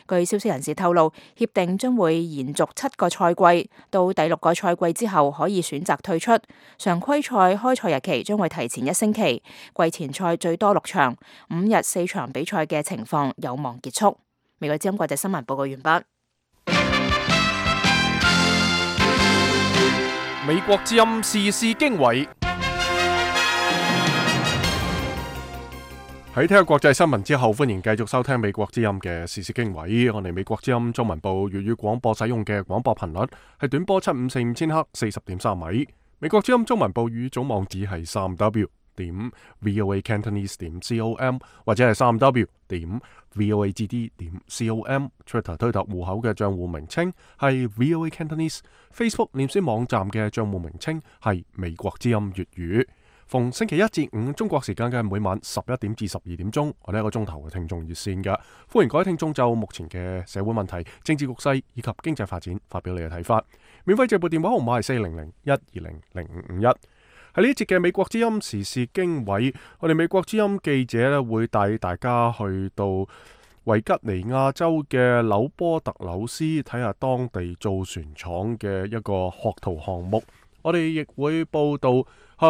據消息人士透露，協定將會延續7個賽季，到第6個賽季之後可以選擇退出。常規賽開賽日期將會提前1星期，季前賽最多6場，5日4場比賽嘅情況有望結束。美國之音國際新聞報告完畢。美國之音時事經緯。喺聽下國際新聞之後，歡迎繼續收聽美國之音嘅時事經緯。我哋美國之音中文部粵語廣播使用嘅廣播頻率係短波7545千赫40.3米。美國之音中文部語總網址係3w.voacantonese.com 或者係3w.voagd.com。Twitter 推特戶口嘅賬戶名稱係 VOA Cantonese。Facebook 臉書網站嘅賬戶名稱係美國之音粵語。逢星期一至五中國時間嘅每晚11點至12點鐘，我哋一個鐘頭嘅聽眾熱線嘅，歡迎各位聽眾就目前嘅社會問題、政治局勢以及經濟發展發表你嘅睇法。免費借撥電話號碼係400-120-0551。喺呢一節嘅美國之音時事經緯，我哋美國之音記者咧會帶大家去到維吉尼亞州嘅紐波特紐斯，睇下當地造船廠嘅一個學徒項目。我哋亦會報道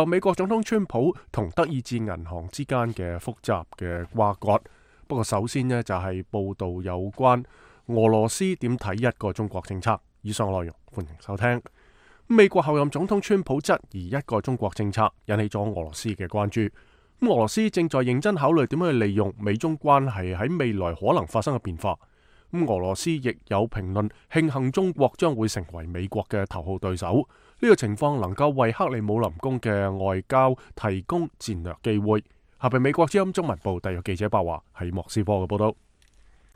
美國總統川普同德意志銀行之間嘅複雜嘅瓜葛。不過首先呢，就係報道有關俄羅斯點睇一個中國政策。以上內容歡迎收聽。美國候任總統川普質疑一個中國政策，引起咗俄羅斯嘅關注。俄羅斯正在認真考慮點樣去利用美中關係喺未來可能發生嘅變化。俄羅斯亦有評論慶幸中國將會成為美國嘅頭號對手。呢個情況能夠為克里姆林宮嘅外交提供戰略機會。下邊美國之音中文部特約記者白華喺莫斯科嘅報道。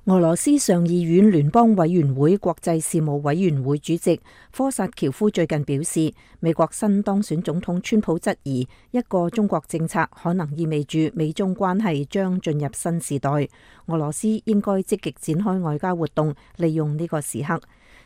俄羅斯上議院聯邦委員會國際事務委員會主席科薩喬夫最近表示，美國新當選總統川普質疑一個中國政策可能意味住美中關係將進入新時代。俄羅斯應該積極展開外交活動，利用呢個時刻。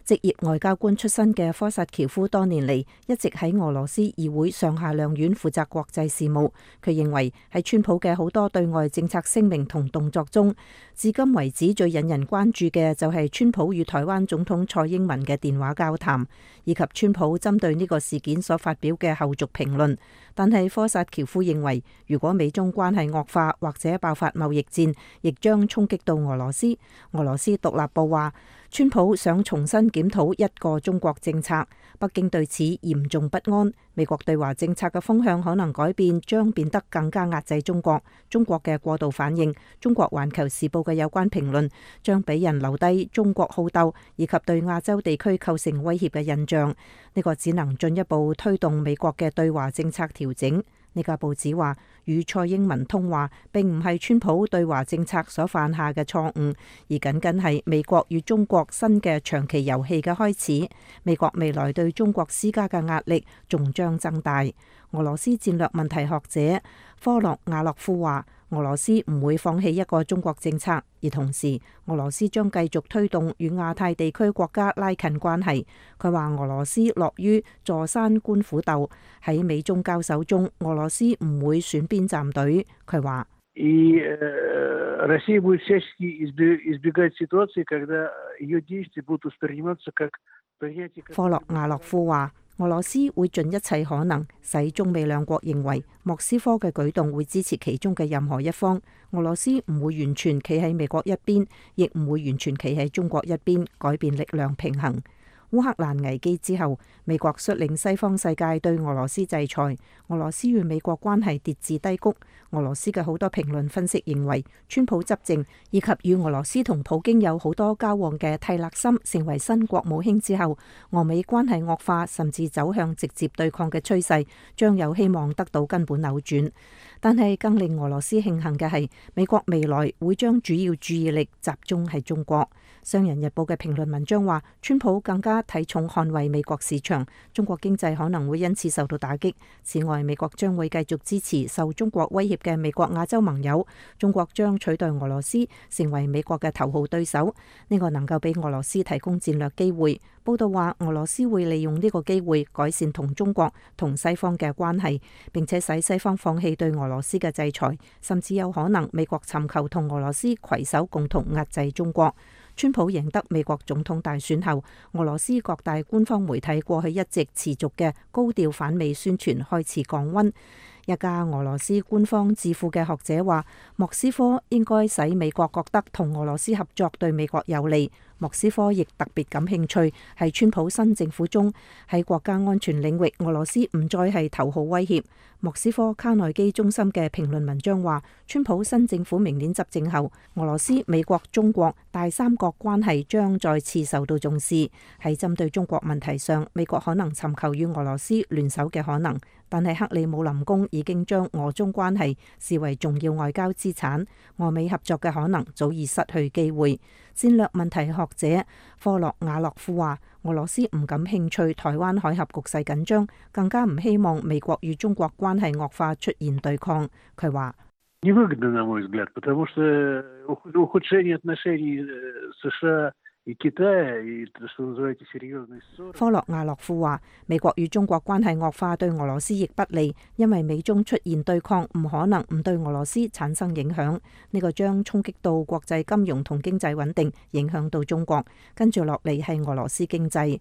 職業外交官出身嘅科薩喬夫多年嚟一直喺俄羅斯議會上下兩院負責國際事務。佢認為喺川普嘅好多對外政策聲明同動作中，至今為止最引人關注嘅就係川普與台灣總統蔡英文嘅電話交談，以及川普針對呢個事件所發表嘅後續評論。但係科薩喬夫認為，如果美中關係惡化或者爆發貿易戰，亦將衝擊到俄羅斯。俄羅斯獨立報話，川普想重新檢討一個中國政策，北京對此嚴重不安。美國對華政策嘅風向可能改變，將變得更加壓制中國。中國嘅過度反應，中國環球時報嘅有關評論，將俾人留低中國好鬥以及對亞洲地區構成威脅嘅印象。呢個只能進一步推動美國嘅對華政策調整。呢個報紙話，與蔡英文通話並唔係川普對華政策所犯下嘅錯誤，而僅僅係美國與中國新嘅長期遊戲嘅開始。美國未來對中國施加嘅壓力仲將增大。俄羅斯戰略問題學者科洛瓦洛夫話，俄羅斯唔會放棄一個中國政策，而同時俄羅斯將繼續推動與亞太地區國家拉近關係。佢話俄羅斯樂於坐山觀虎鬥，喺美中交手中，俄羅斯唔會選邊站隊。佢話科洛瓦洛夫話，俄羅斯會盡一切可能使中美兩國認為莫斯科嘅舉動會支持其中嘅任何一方。俄羅斯唔會完全企喺美國一邊，亦唔會完全企喺中國一邊，改變力量平衡。烏克蘭危機之後，美國率領西方世界對俄羅斯制裁，俄羅斯與美國關係跌至低谷。俄羅斯嘅好多評論分析認為，川普執政以及與俄羅斯同普京有好多交往嘅蒂勒森成為新國務卿之後，俄美關係惡化甚至走向直接對抗嘅趨勢，將有希望得到根本扭轉。但係更令俄羅斯慶幸嘅係，美國未來會將主要注意力集中喺中國。商人日報嘅評論文章話，川普更加家睇重捍衛美國市場，中國經濟可能會因此受到打擊。此外，美國將會繼續支持受中國威脅嘅美國亞洲盟友，中國將取代俄羅斯成為美國嘅頭號對手，呢個能夠俾俄羅斯提供戰略機會。報道話，俄羅斯會利用呢個機會改善同中國同西方嘅關係，並且使西方放棄對俄羅斯嘅制裁，甚至有可能美國尋求同俄羅斯攜手共同壓制中國。川普贏得美國總統大選後，俄羅斯各大官方媒體過去一直持續嘅高調反美宣傳開始降溫。一家俄羅斯官方智庫嘅學者話，莫斯科應該使美國覺得同俄羅斯合作對美國有利。莫斯科亦特別感興趣係川普新政府中喺國家安全領域，俄羅斯唔再係頭號威脅。莫斯科卡內基中心嘅評論文章話，川普新政府明年執政後，俄羅斯、美國、中國大三角關係將再次受到重視。喺針對中國問題上，美國可能尋求與俄羅斯聯手嘅可能，但係克里姆林宮已經將俄中關係視為重要外交資產，俄美合作嘅可能早已失去機會。戰略問題學者科洛瓦洛夫話，俄羅斯唔感興趣台灣海峽局勢緊張，更加唔希望美國與中國關係惡化出現對抗。佢話，科洛瓦洛夫話，美國與中國關係惡化對俄羅斯亦不利，因為美中出現對抗唔可能唔對俄羅斯產生影響，呢個將衝擊到國際金融同經濟穩定，影響到中國，跟住落嚟係俄羅斯經濟。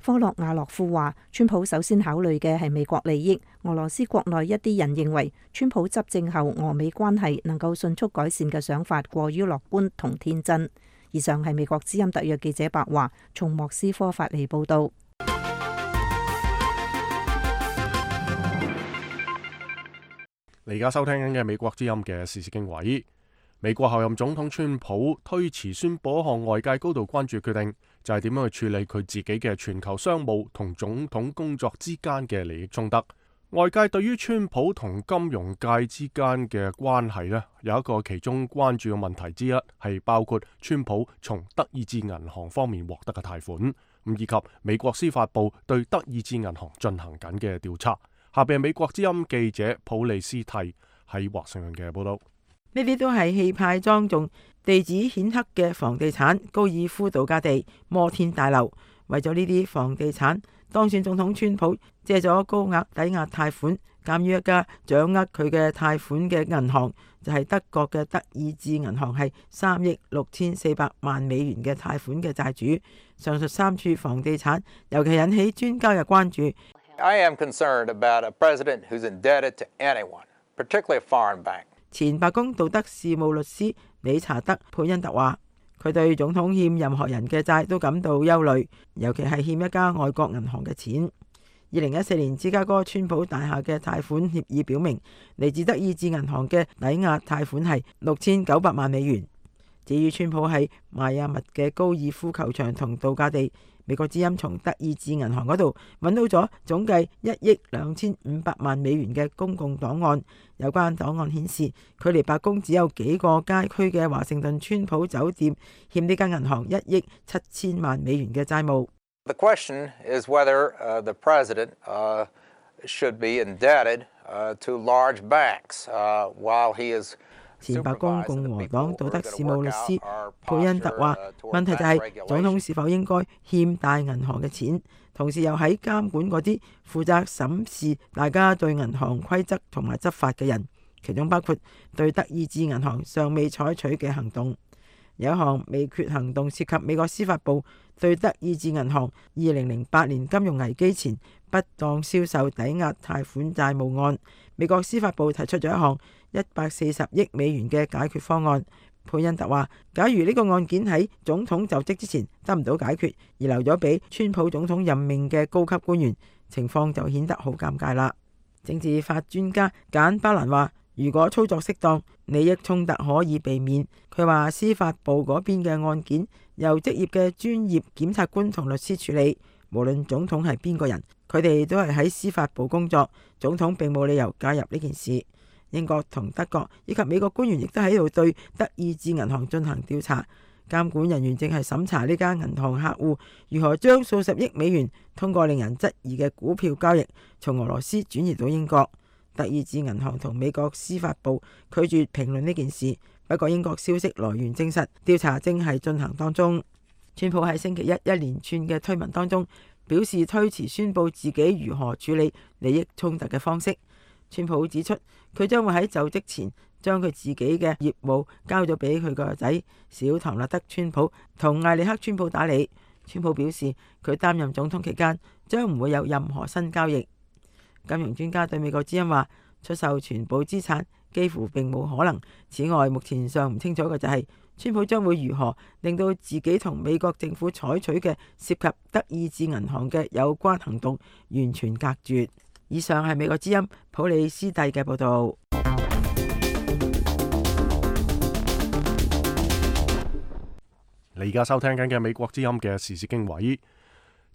科洛瓦洛夫話，川普首先考慮嘅係美國利益，俄羅斯國內一啲人認為川普執政後俄美關係能夠迅速改善嘅想法過於樂觀同天真。以上係美國之音特約記者白華從莫斯科發嚟報道。你而家收聽緊嘅美國之音嘅時事經緯。美國候任總統川普推遲宣佈一項外界高度關注決定，就係點樣去處理佢自己嘅全球商務同總統工作之間嘅利益衝突。外界對於川普同金融界之間嘅關係呢，有一個其中關注嘅問題之一，係包括川普從德意志銀行方面獲得嘅貸款，以及美國司法部對德意志銀行進行緊嘅調查。下邊係美國之音記者普利斯蒂喺華盛頓嘅報道。呢啲都係氣派莊重、地址顯赫嘅房地產高爾夫度假地摩天大樓。為咗呢啲房地產，當選總統川普借咗高額抵押貸款，鑑於一家掌握佢嘅貸款嘅銀行就係德國嘅德意志銀行，係3億6400萬美元嘅貸款嘅債主。上述3處房地產尤其引起專家嘅關注。I am concerned about a president who's indebted to anyone, particularly a foreign bank. 前白宮道德事務律師理查德·佩恩特話，佢對總統欠任何人嘅債都感到憂慮，尤其係欠一家外國銀行嘅錢。2014年芝加哥川普大廈嘅貸款協議表明，嚟自德意志銀行嘅抵押貸款係6900萬美元。至於川普喺邁阿密嘅高爾夫球場同度假地，美國之音從德意志銀行嗰度揾到咗總計1億2500萬美元嘅公共檔案。有關檔案顯示，距離白宮只有幾個街區嘅華盛頓川普酒店欠呢間銀行1億7000萬美元嘅債務。The question is whether the president should be indebted to large banks while he is。前白宮共和黨道德事務律師佩恩特話，問題就係總統是否應該欠大銀行嘅錢，同時又喺監管嗰啲負責審視大家對銀行規則同埋執法嘅人，其中包括對德意志銀行尚未採取嘅行動。有一項未決行動涉及美國司法部對德意志銀行2008年金融危機前不當銷售抵押貸款債務案。美國司法部提出咗一項140億美元嘅解決方案。佩恩特話，假如呢個案件喺總統就職之前得唔到解決，而留咗俾川普總統任命嘅高級官員，情況就顯得好尷尬啦。政治法專家簡巴蘭話，如果操作適當，利益衝突可以避免。佢話司法部嗰邊嘅案件由職業嘅專業檢察官同律師處理，無論總統係邊個人，佢哋都係喺司法部工作，總統並冇理由介入呢件事。英國同德國以及美國官員亦都喺度對德意志銀行進行調查。監管人員正係審查呢間銀行客戶如何將數十億美元通過令人質疑嘅股票交易從俄羅斯轉移到英國。德意志銀行同美國司法部拒絕評論呢件事，不過英國消息來源證實調查正係進行當中。川普喺星期一連串嘅推文當中表示推遲宣佈自己如何處理利益衝突嘅方式。川普指出，佢將會喺就職前將佢自己嘅業務交咗俾佢個仔小唐納德川普同艾利克川普打理。川普表示，佢擔任總統期間將唔會有任何新交易。金融專家對美國之音話，出售全部資產幾乎並冇可能。此外，目前尚唔清楚嘅就係川普將會如何令到自己同美國政府採取嘅涉及德意志銀行嘅有關行動完全隔絕。以上係美國之音普里斯蒂嘅報道。你而家收聽緊嘅美國之音嘅時事經緯，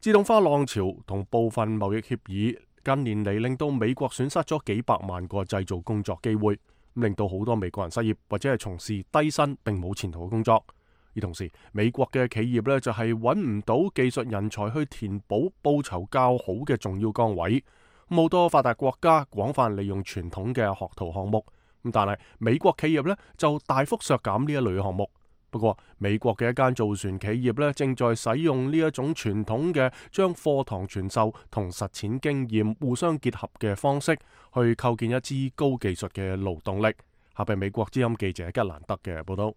自動化浪潮同部分貿易協議近年嚟令到美國損失咗幾百萬個製造工作機會，令到好多美國人失業或者係從事低薪並冇前途嘅工作。而同時，美國嘅企業呢就係揾唔到技術人才去填補報酬較好嘅重要崗位。好多發達國家廣泛利用傳統嘅學徒項目，但係美國企業呢就大幅削減呢一類項目。不過，美國嘅一間造船企業呢正在使用呢一種傳統嘅將課堂傳授同實踐經驗互相結合嘅方式，去構建一支高技術嘅勞動力。下邊美國之音記者吉蘭德嘅報道。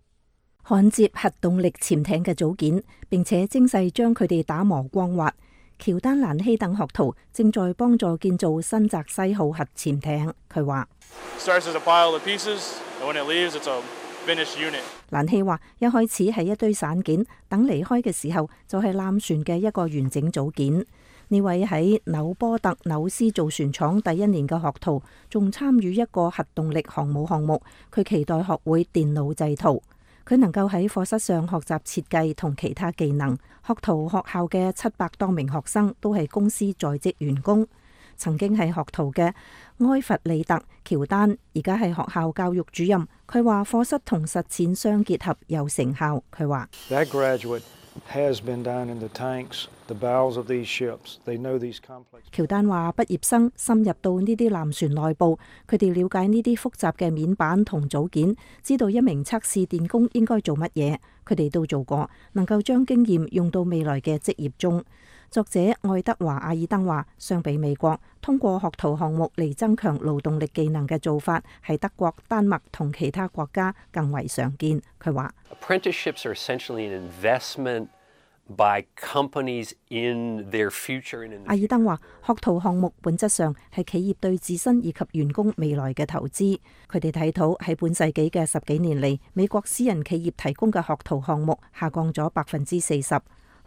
焊接核動力潛艇嘅組件，並且精細將佢哋打磨光滑。喬丹蘭希等學徒正在幫助建造新澤西號核潛艇。佢話：蘭希話一開始係一堆散件，等離開嘅時候就係艦船嘅一個完整組件。呢位喺紐波特紐斯造船廠第一年嘅學徒，仲參與一個核動力航母項目。佢期待學會電腦製圖。佢能夠喺課室上學習設計同其他技能。學徒學校嘅700多名學生都係公司在職員工。曾經係學徒嘅埃弗利特喬丹，而家係學校教育主任。佢話課室同實踐相結合有成效。佢話喬丹話畢業生深入到呢啲艦船內部，佢哋了解呢啲複雜嘅面板同組件，知道一名測試電工應該做乜嘢。佢哋都做過，能夠將經驗用到未來嘅職業中。作者愛德華阿爾登話，相比美國，通過學徒項目嚟增強勞動力技能嘅做法，喺德國、丹麥同其他國家更為常見。佢話，Apprenticeships are essentially an investment by companies in their future. 阿爾登話，學徒項目本質上係企業對自身以及員工未來嘅投資。佢哋睇到喺本世紀嘅10幾年嚟，美國私人企業提供嘅學徒項目下降咗40%。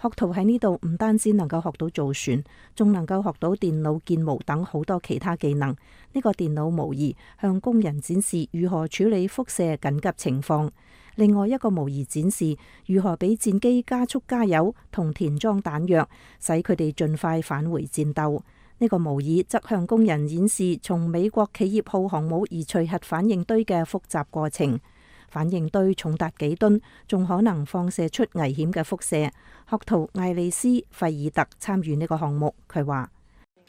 學徒喺呢度唔單止能夠學到造船，仲能夠學到電腦建模等好多其他技能。呢個電腦模擬向工人展示如何處理輻射緊急情況，另外一個模擬展示如何俾戰機加速加油同填裝彈藥，使佢哋盡快返回戰鬥。呢個模擬則向工人演示從美國企業號航母移除核反應堆嘅複雜過程。反應堆重達幾噸，仲可能放射出危險嘅輻射。學徒艾利斯·費爾特參與呢個項目，佢話：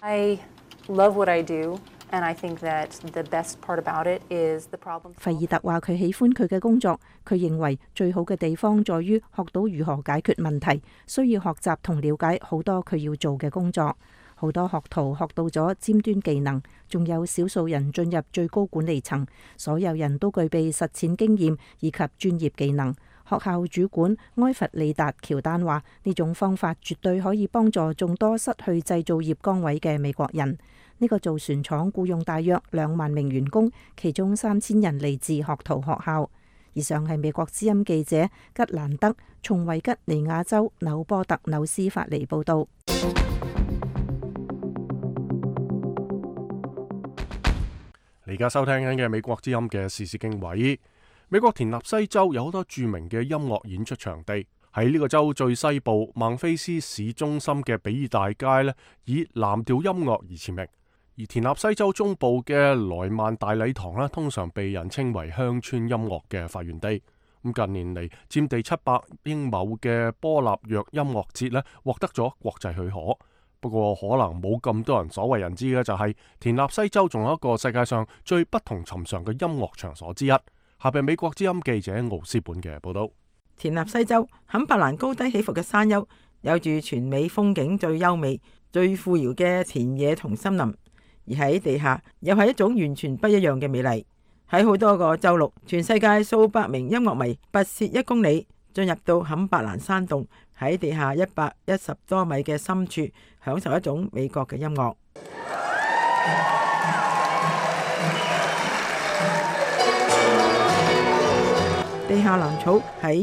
費爾特話佢喜歡佢嘅工作，佢認為最好嘅地方在於學到如何解決問題，需要學習同了解好多佢要做嘅工作。好多學徒學到咗尖端技能，仲有少數人進入最高管理層，所有人都具備實踐經驗以及專業技能。學校主管埃弗利達喬丹話：呢種方法絕對可以幫助眾多失去製造業崗位嘅美國人。呢個造船廠僱用大約2萬名員工，其中3000人嚟自學徒學校。以上係美國之音記者吉蘭德從維吉尼亞州紐波特紐斯發嚟報道。而家收聽緊嘅美國之音嘅時事經緯，美國田納西州有好多著名嘅音樂演出場地。喺呢個州最西部孟菲斯市中心嘅比爾大街呢，以藍調音樂而馳名。而田納西州中部嘅萊曼大禮堂呢，通常被人稱為鄉村音樂嘅發源地。咁近年嚟佔地700英畝嘅波納約音樂節呢，獲得咗國際許可。不過可能冇咁多人所為人知嘅就係田納西州仲有一個世界上最不同尋常嘅音樂場所之一。下邊美國之音記者奧斯本嘅報道。田納西州坎伯蘭高低起伏嘅山丘，有住全美風景最優美、最富饒嘅田野同森林，而喺地下又係一種完全不一樣嘅美麗。喺好多個州陸，全世界數百名音樂迷跋涉1公里，進入到坎伯蘭山洞，喺地下110多米嘅深處，享受一種美國嘅音樂。地下藍草喺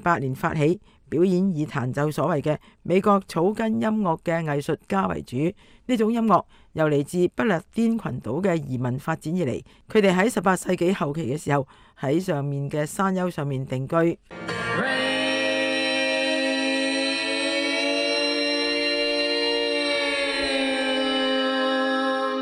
2008年發起，表演以彈奏所謂嘅美國草根音樂嘅藝術家為主。呢種音樂由嚟自不列顛群島嘅移民發展而嚟，佢哋喺18世紀後期嘅時候喺上面嘅山丘上面定居。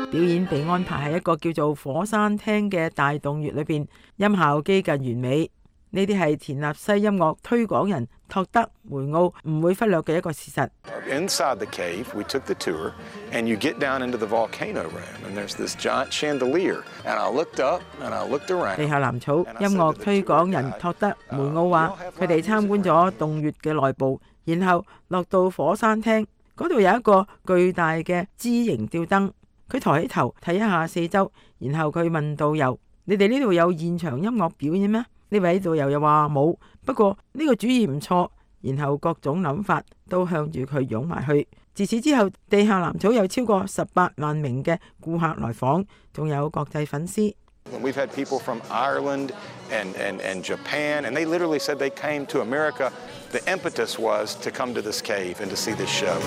表演被安排喺一個叫做火山廳嘅大洞穴裏邊，音效幾近完美。呢啲係田納西音樂推廣人托德梅奧唔會忽略嘅一個事實。Inside the cave, we took the tour, and you get down into the volcano room, and there's this giant chandelier, and I looked up, and I looked around. 地下藍草音樂推廣人托德梅奧話，佢哋參觀咗洞穴嘅內部，然後落到火山廳，嗰度有一個巨大嘅枝形吊燈。佢抬起頭睇一下四周，然後佢問導遊：你哋呢度有現場音樂表演咩？呢位導遊又話冇，不過呢個主意唔錯。然後各種諗法都向住佢湧埋去。自此之後，地下藍草有超過18萬名嘅顧客來訪，仲有國際粉絲。We've had people from Ireland and Japan, and they literally said they came to America. The impetus was to come to this cave and to see this show.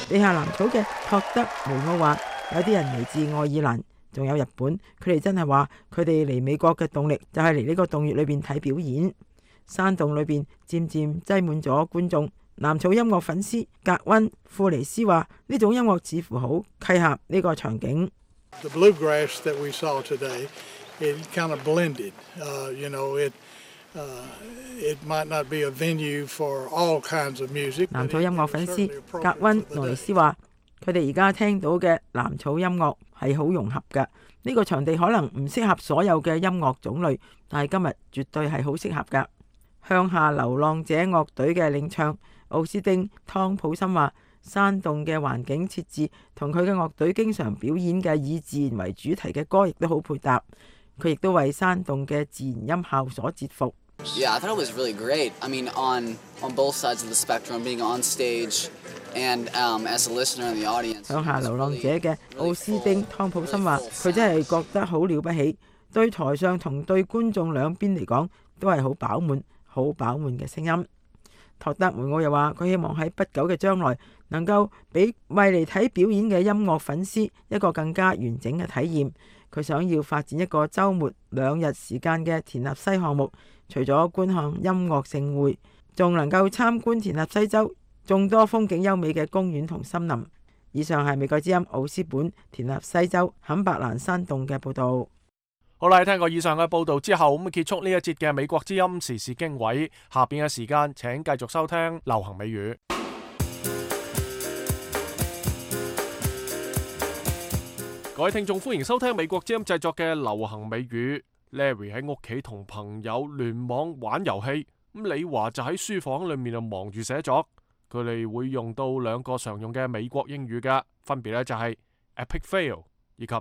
地下藍草嘅托德梅奧話，有啲人嚟自愛爾蘭，仲有日本，佢哋真係話佢哋嚟美國嘅動力就係嚟呢個洞穴裏邊睇表演。山洞裏邊漸漸擠滿咗觀眾。藍草音樂粉絲格溫庫尼斯話：呢種音樂似乎好契合呢個場景。The bluegrass that we saw today, it kind of blended. It might not be a venue for all kinds of music. 藍草音樂粉絲格溫羅尼斯話：佢哋而家聽到嘅藍草音樂係好融合㗎。呢個場地可能唔適合所有嘅音樂種類，但係今日絕對係好適合㗎。向下流浪者樂隊嘅領唱奧斯丁湯普森話：山洞嘅環境設置同佢嘅樂隊經常表演嘅以自然為主題嘅歌亦都好配搭。佢亦都為山洞嘅自然音效所折服。Yeah, I thought it was really great. I mean, on both sides of the spectrum, being on stage and as a listener in the audience. 向下流浪者嘅奧斯丁湯普森話：佢真係覺得好了不起，對台上同對觀眾兩邊嚟講都係好飽滿嘅聲音。托德梅奧又話：佢希望喺不久嘅將來能夠俾為嚟睇表演嘅音樂粉絲一個更加完整嘅體驗。佢想要發展一個週末2日時間嘅田納西項目，除咗觀看音樂盛會，仲能夠參觀田納西州眾多風景優美嘅公園同森林。以上係美國之音奧斯本田納西州坎伯蘭山洞嘅報導。好啦，聽過以上嘅報導之後，咁結束呢一節嘅美國之音時事經緯。下邊嘅時間請繼續收聽流行美語。各位聽眾，歡迎收聽美國之音製作嘅流行美語。Larry 喺屋企同朋友聯網玩遊戲，咁李華就喺書房裏面就忙住寫作。佢哋會用到2個常用嘅美國英語㗎，分別咧就係 epic fail 以及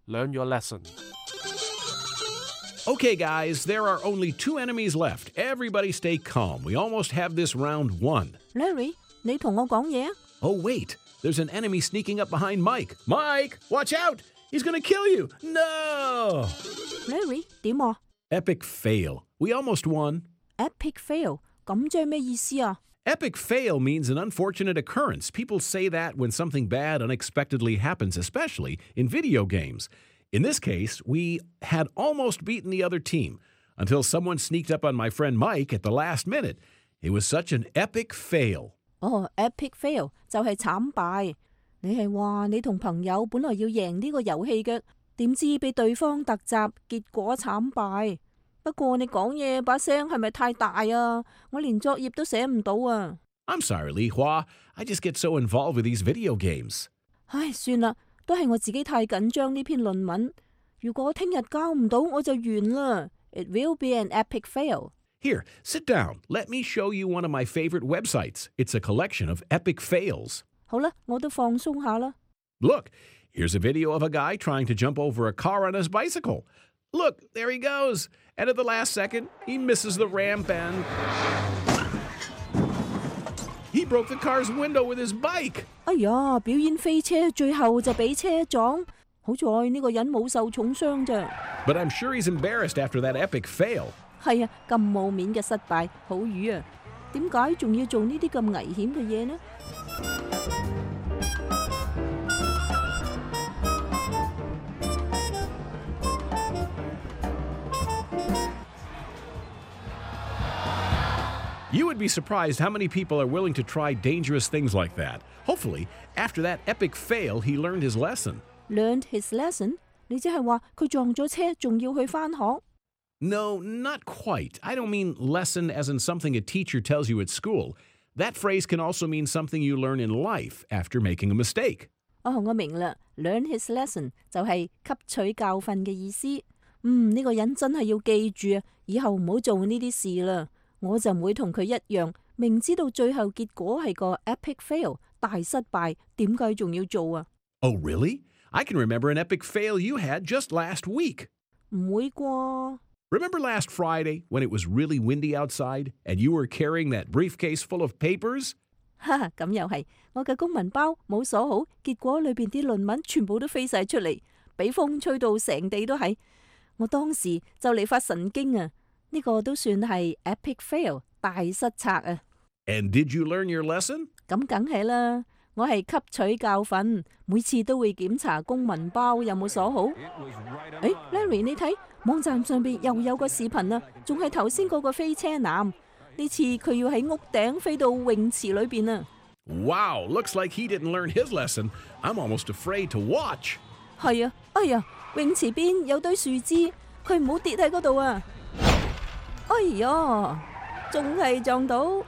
learn your lesson。Okay, guys, there are only 2 enemies left. Everybody stay calm. We almost have this round won. Larry, 你同我講嘢啊？ Oh, wait. There's an enemy sneaking up behind Mike. Mike, watch out! He's gonna kill you! No! Larry, 點啊？ Epic fail. We almost won. Epic fail. 咁即係咩意思啊？ Epic fail means an unfortunate occurrence. People say that when something bad unexpectedly happens, especially in video games. In this case, we had almost beaten the other team until someone sneaked up on my friend Mike at the last minute. It was such an epic fail. 哦 ，epic fail 就係慘敗。你係話你同朋友本來要贏呢個遊戲嘅，點知被對方突襲，結果慘敗。不過你講嘢把聲係咪太大啊？我連作業都寫唔到啊。I'm sorry, Li Hua. I just get so involved with these video games. 唉，算啦，都係我自己太緊張呢篇論文。如果聽日交唔到，我就完啦。It will be an epic fail. Here, sit down. Let me show you one of my favorite websites. It's a collection of epic fails. 好啦，我都放鬆下啦。Look, here's a video of a guy trying to jump over a car on his bicycle. Look, there he goes. And at the last second, he misses the ramp and he broke the car's window with his bike. 哎呀，表演飛車，最後就俾車撞。好在呢個人冇受重傷咋。But I'm sure he's embarrassed after that epic fail. 係啊，咁冇面嘅失敗，好瘀啊！點解仲要做呢啲咁危險嘅嘢呢？You would be surprised how many people are willing to try dangerous things like that. Hopefully, after that epic fail, he learned his lesson. Learned his lesson？ 你即係話佢撞咗車，仲要去返學？ No, not quite. I don't mean lesson as in something a teacher tells you at school. That phrase can also mean something you learn in life after making a mistake. 哦，我明啦。Learn his lesson 就係吸取教訓嘅意思。呢個人真係要記住啊，以後唔好做呢啲事啦。我就唔會同佢一樣，明知道最後結果係個 epic fail 大失敗，點解仲要做啊？ Oh, really? I can remember an epic fail you had just last week. 唔會啩？ Remember last Friday when it was really windy outside and you were carrying that briefcase full of papers? 哈，咁又係，我嘅公文包冇鎖好，結果裏邊啲論文全部都飛晒出嚟，俾風吹到成地都係。我當時就嚟發神經啊！呢個都算係 epic fail 大失策啊！ And did you learn your lesson? 咁梗係啦，我係吸取教訓，每次都會檢查公文包有冇鎖好。Larry 你睇網站上邊又有個視頻啊，仲係頭先嗰個飛車男，呢次佢要喺屋頂飛到泳池裏邊啊！ Wow, looks like he didn't learn his lesson. I'm almost afraid to watch. 係啊，哎呀，泳池邊有堆樹枝，佢唔好跌喺嗰度啊！哎呀，仲係撞到。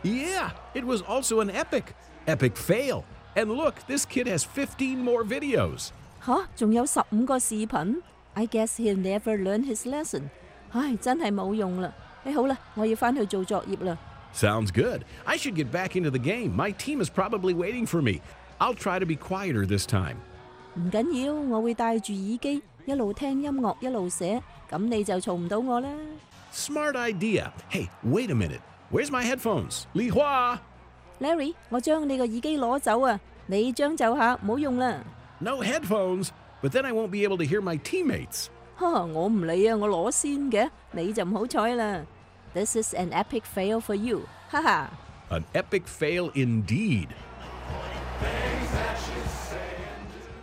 Yeah, it was also an epic fail. And look, this kid has 15 more videos. 吓，仲有15個視頻。I guess he'll never learn his lesson. 唉，真係冇用啦。好啦，我要返去做作業啦。Sounds good. I should get back into the game. My team is probably waiting for me. I'll try to be quieter this time. 唔緊要，我會戴住耳機，一路聽音樂一路寫，咁你就嘈唔到我啦。Smart idea. Hey, wait a minute. Where's my headphones? Li Hua! Larry, 我將你個耳機攞走啊！你將就下，唔好用啦。No headphones, but then I won't be able to hear my teammates. 我唔理啊，我攞先嘅，你就唔好彩啦。This is an epic fail for you. 哈哈。An epic fail indeed.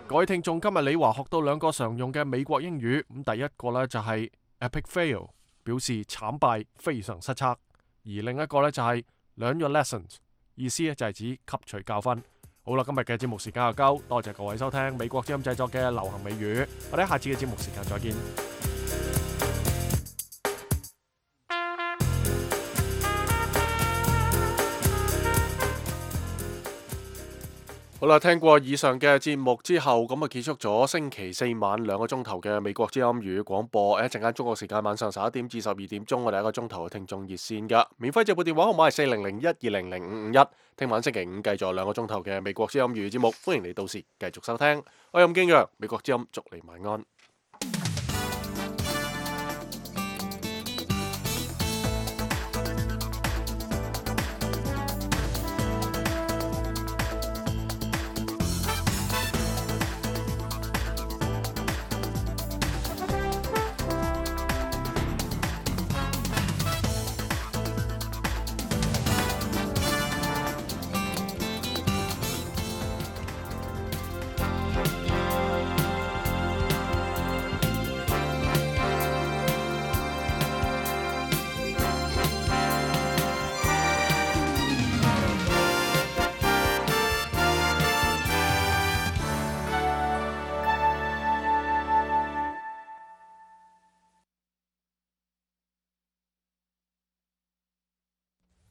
各位聽眾，今日李華學到2個常用嘅美國英語，咁第一個呢就係 epic fail， 表示慘敗、非常失策；而另一個呢就係 learn your lessons， 意思呢就係指吸取教訓。好啦，今日嘅節目時間就夠，多謝各位收聽美國之音製作嘅流行美語，我哋下次嘅節目時間再見。好啦，聽過以上嘅節目之後，咁啊結束咗星期四晚2個鐘頭嘅美國之音粵語廣播。一陣間中國時間晚上11點至12點鐘，我哋1個鐘頭嘅聽眾熱線㗎，免費直撥電話號碼係4001200551。聽晚星期五繼續2個鐘頭嘅美國之音粵語節目，歡迎你到時繼續收聽。我係任敬揚，美國之音祝你晚安。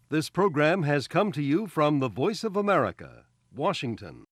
This program has come to you from the Voice of America, Washington.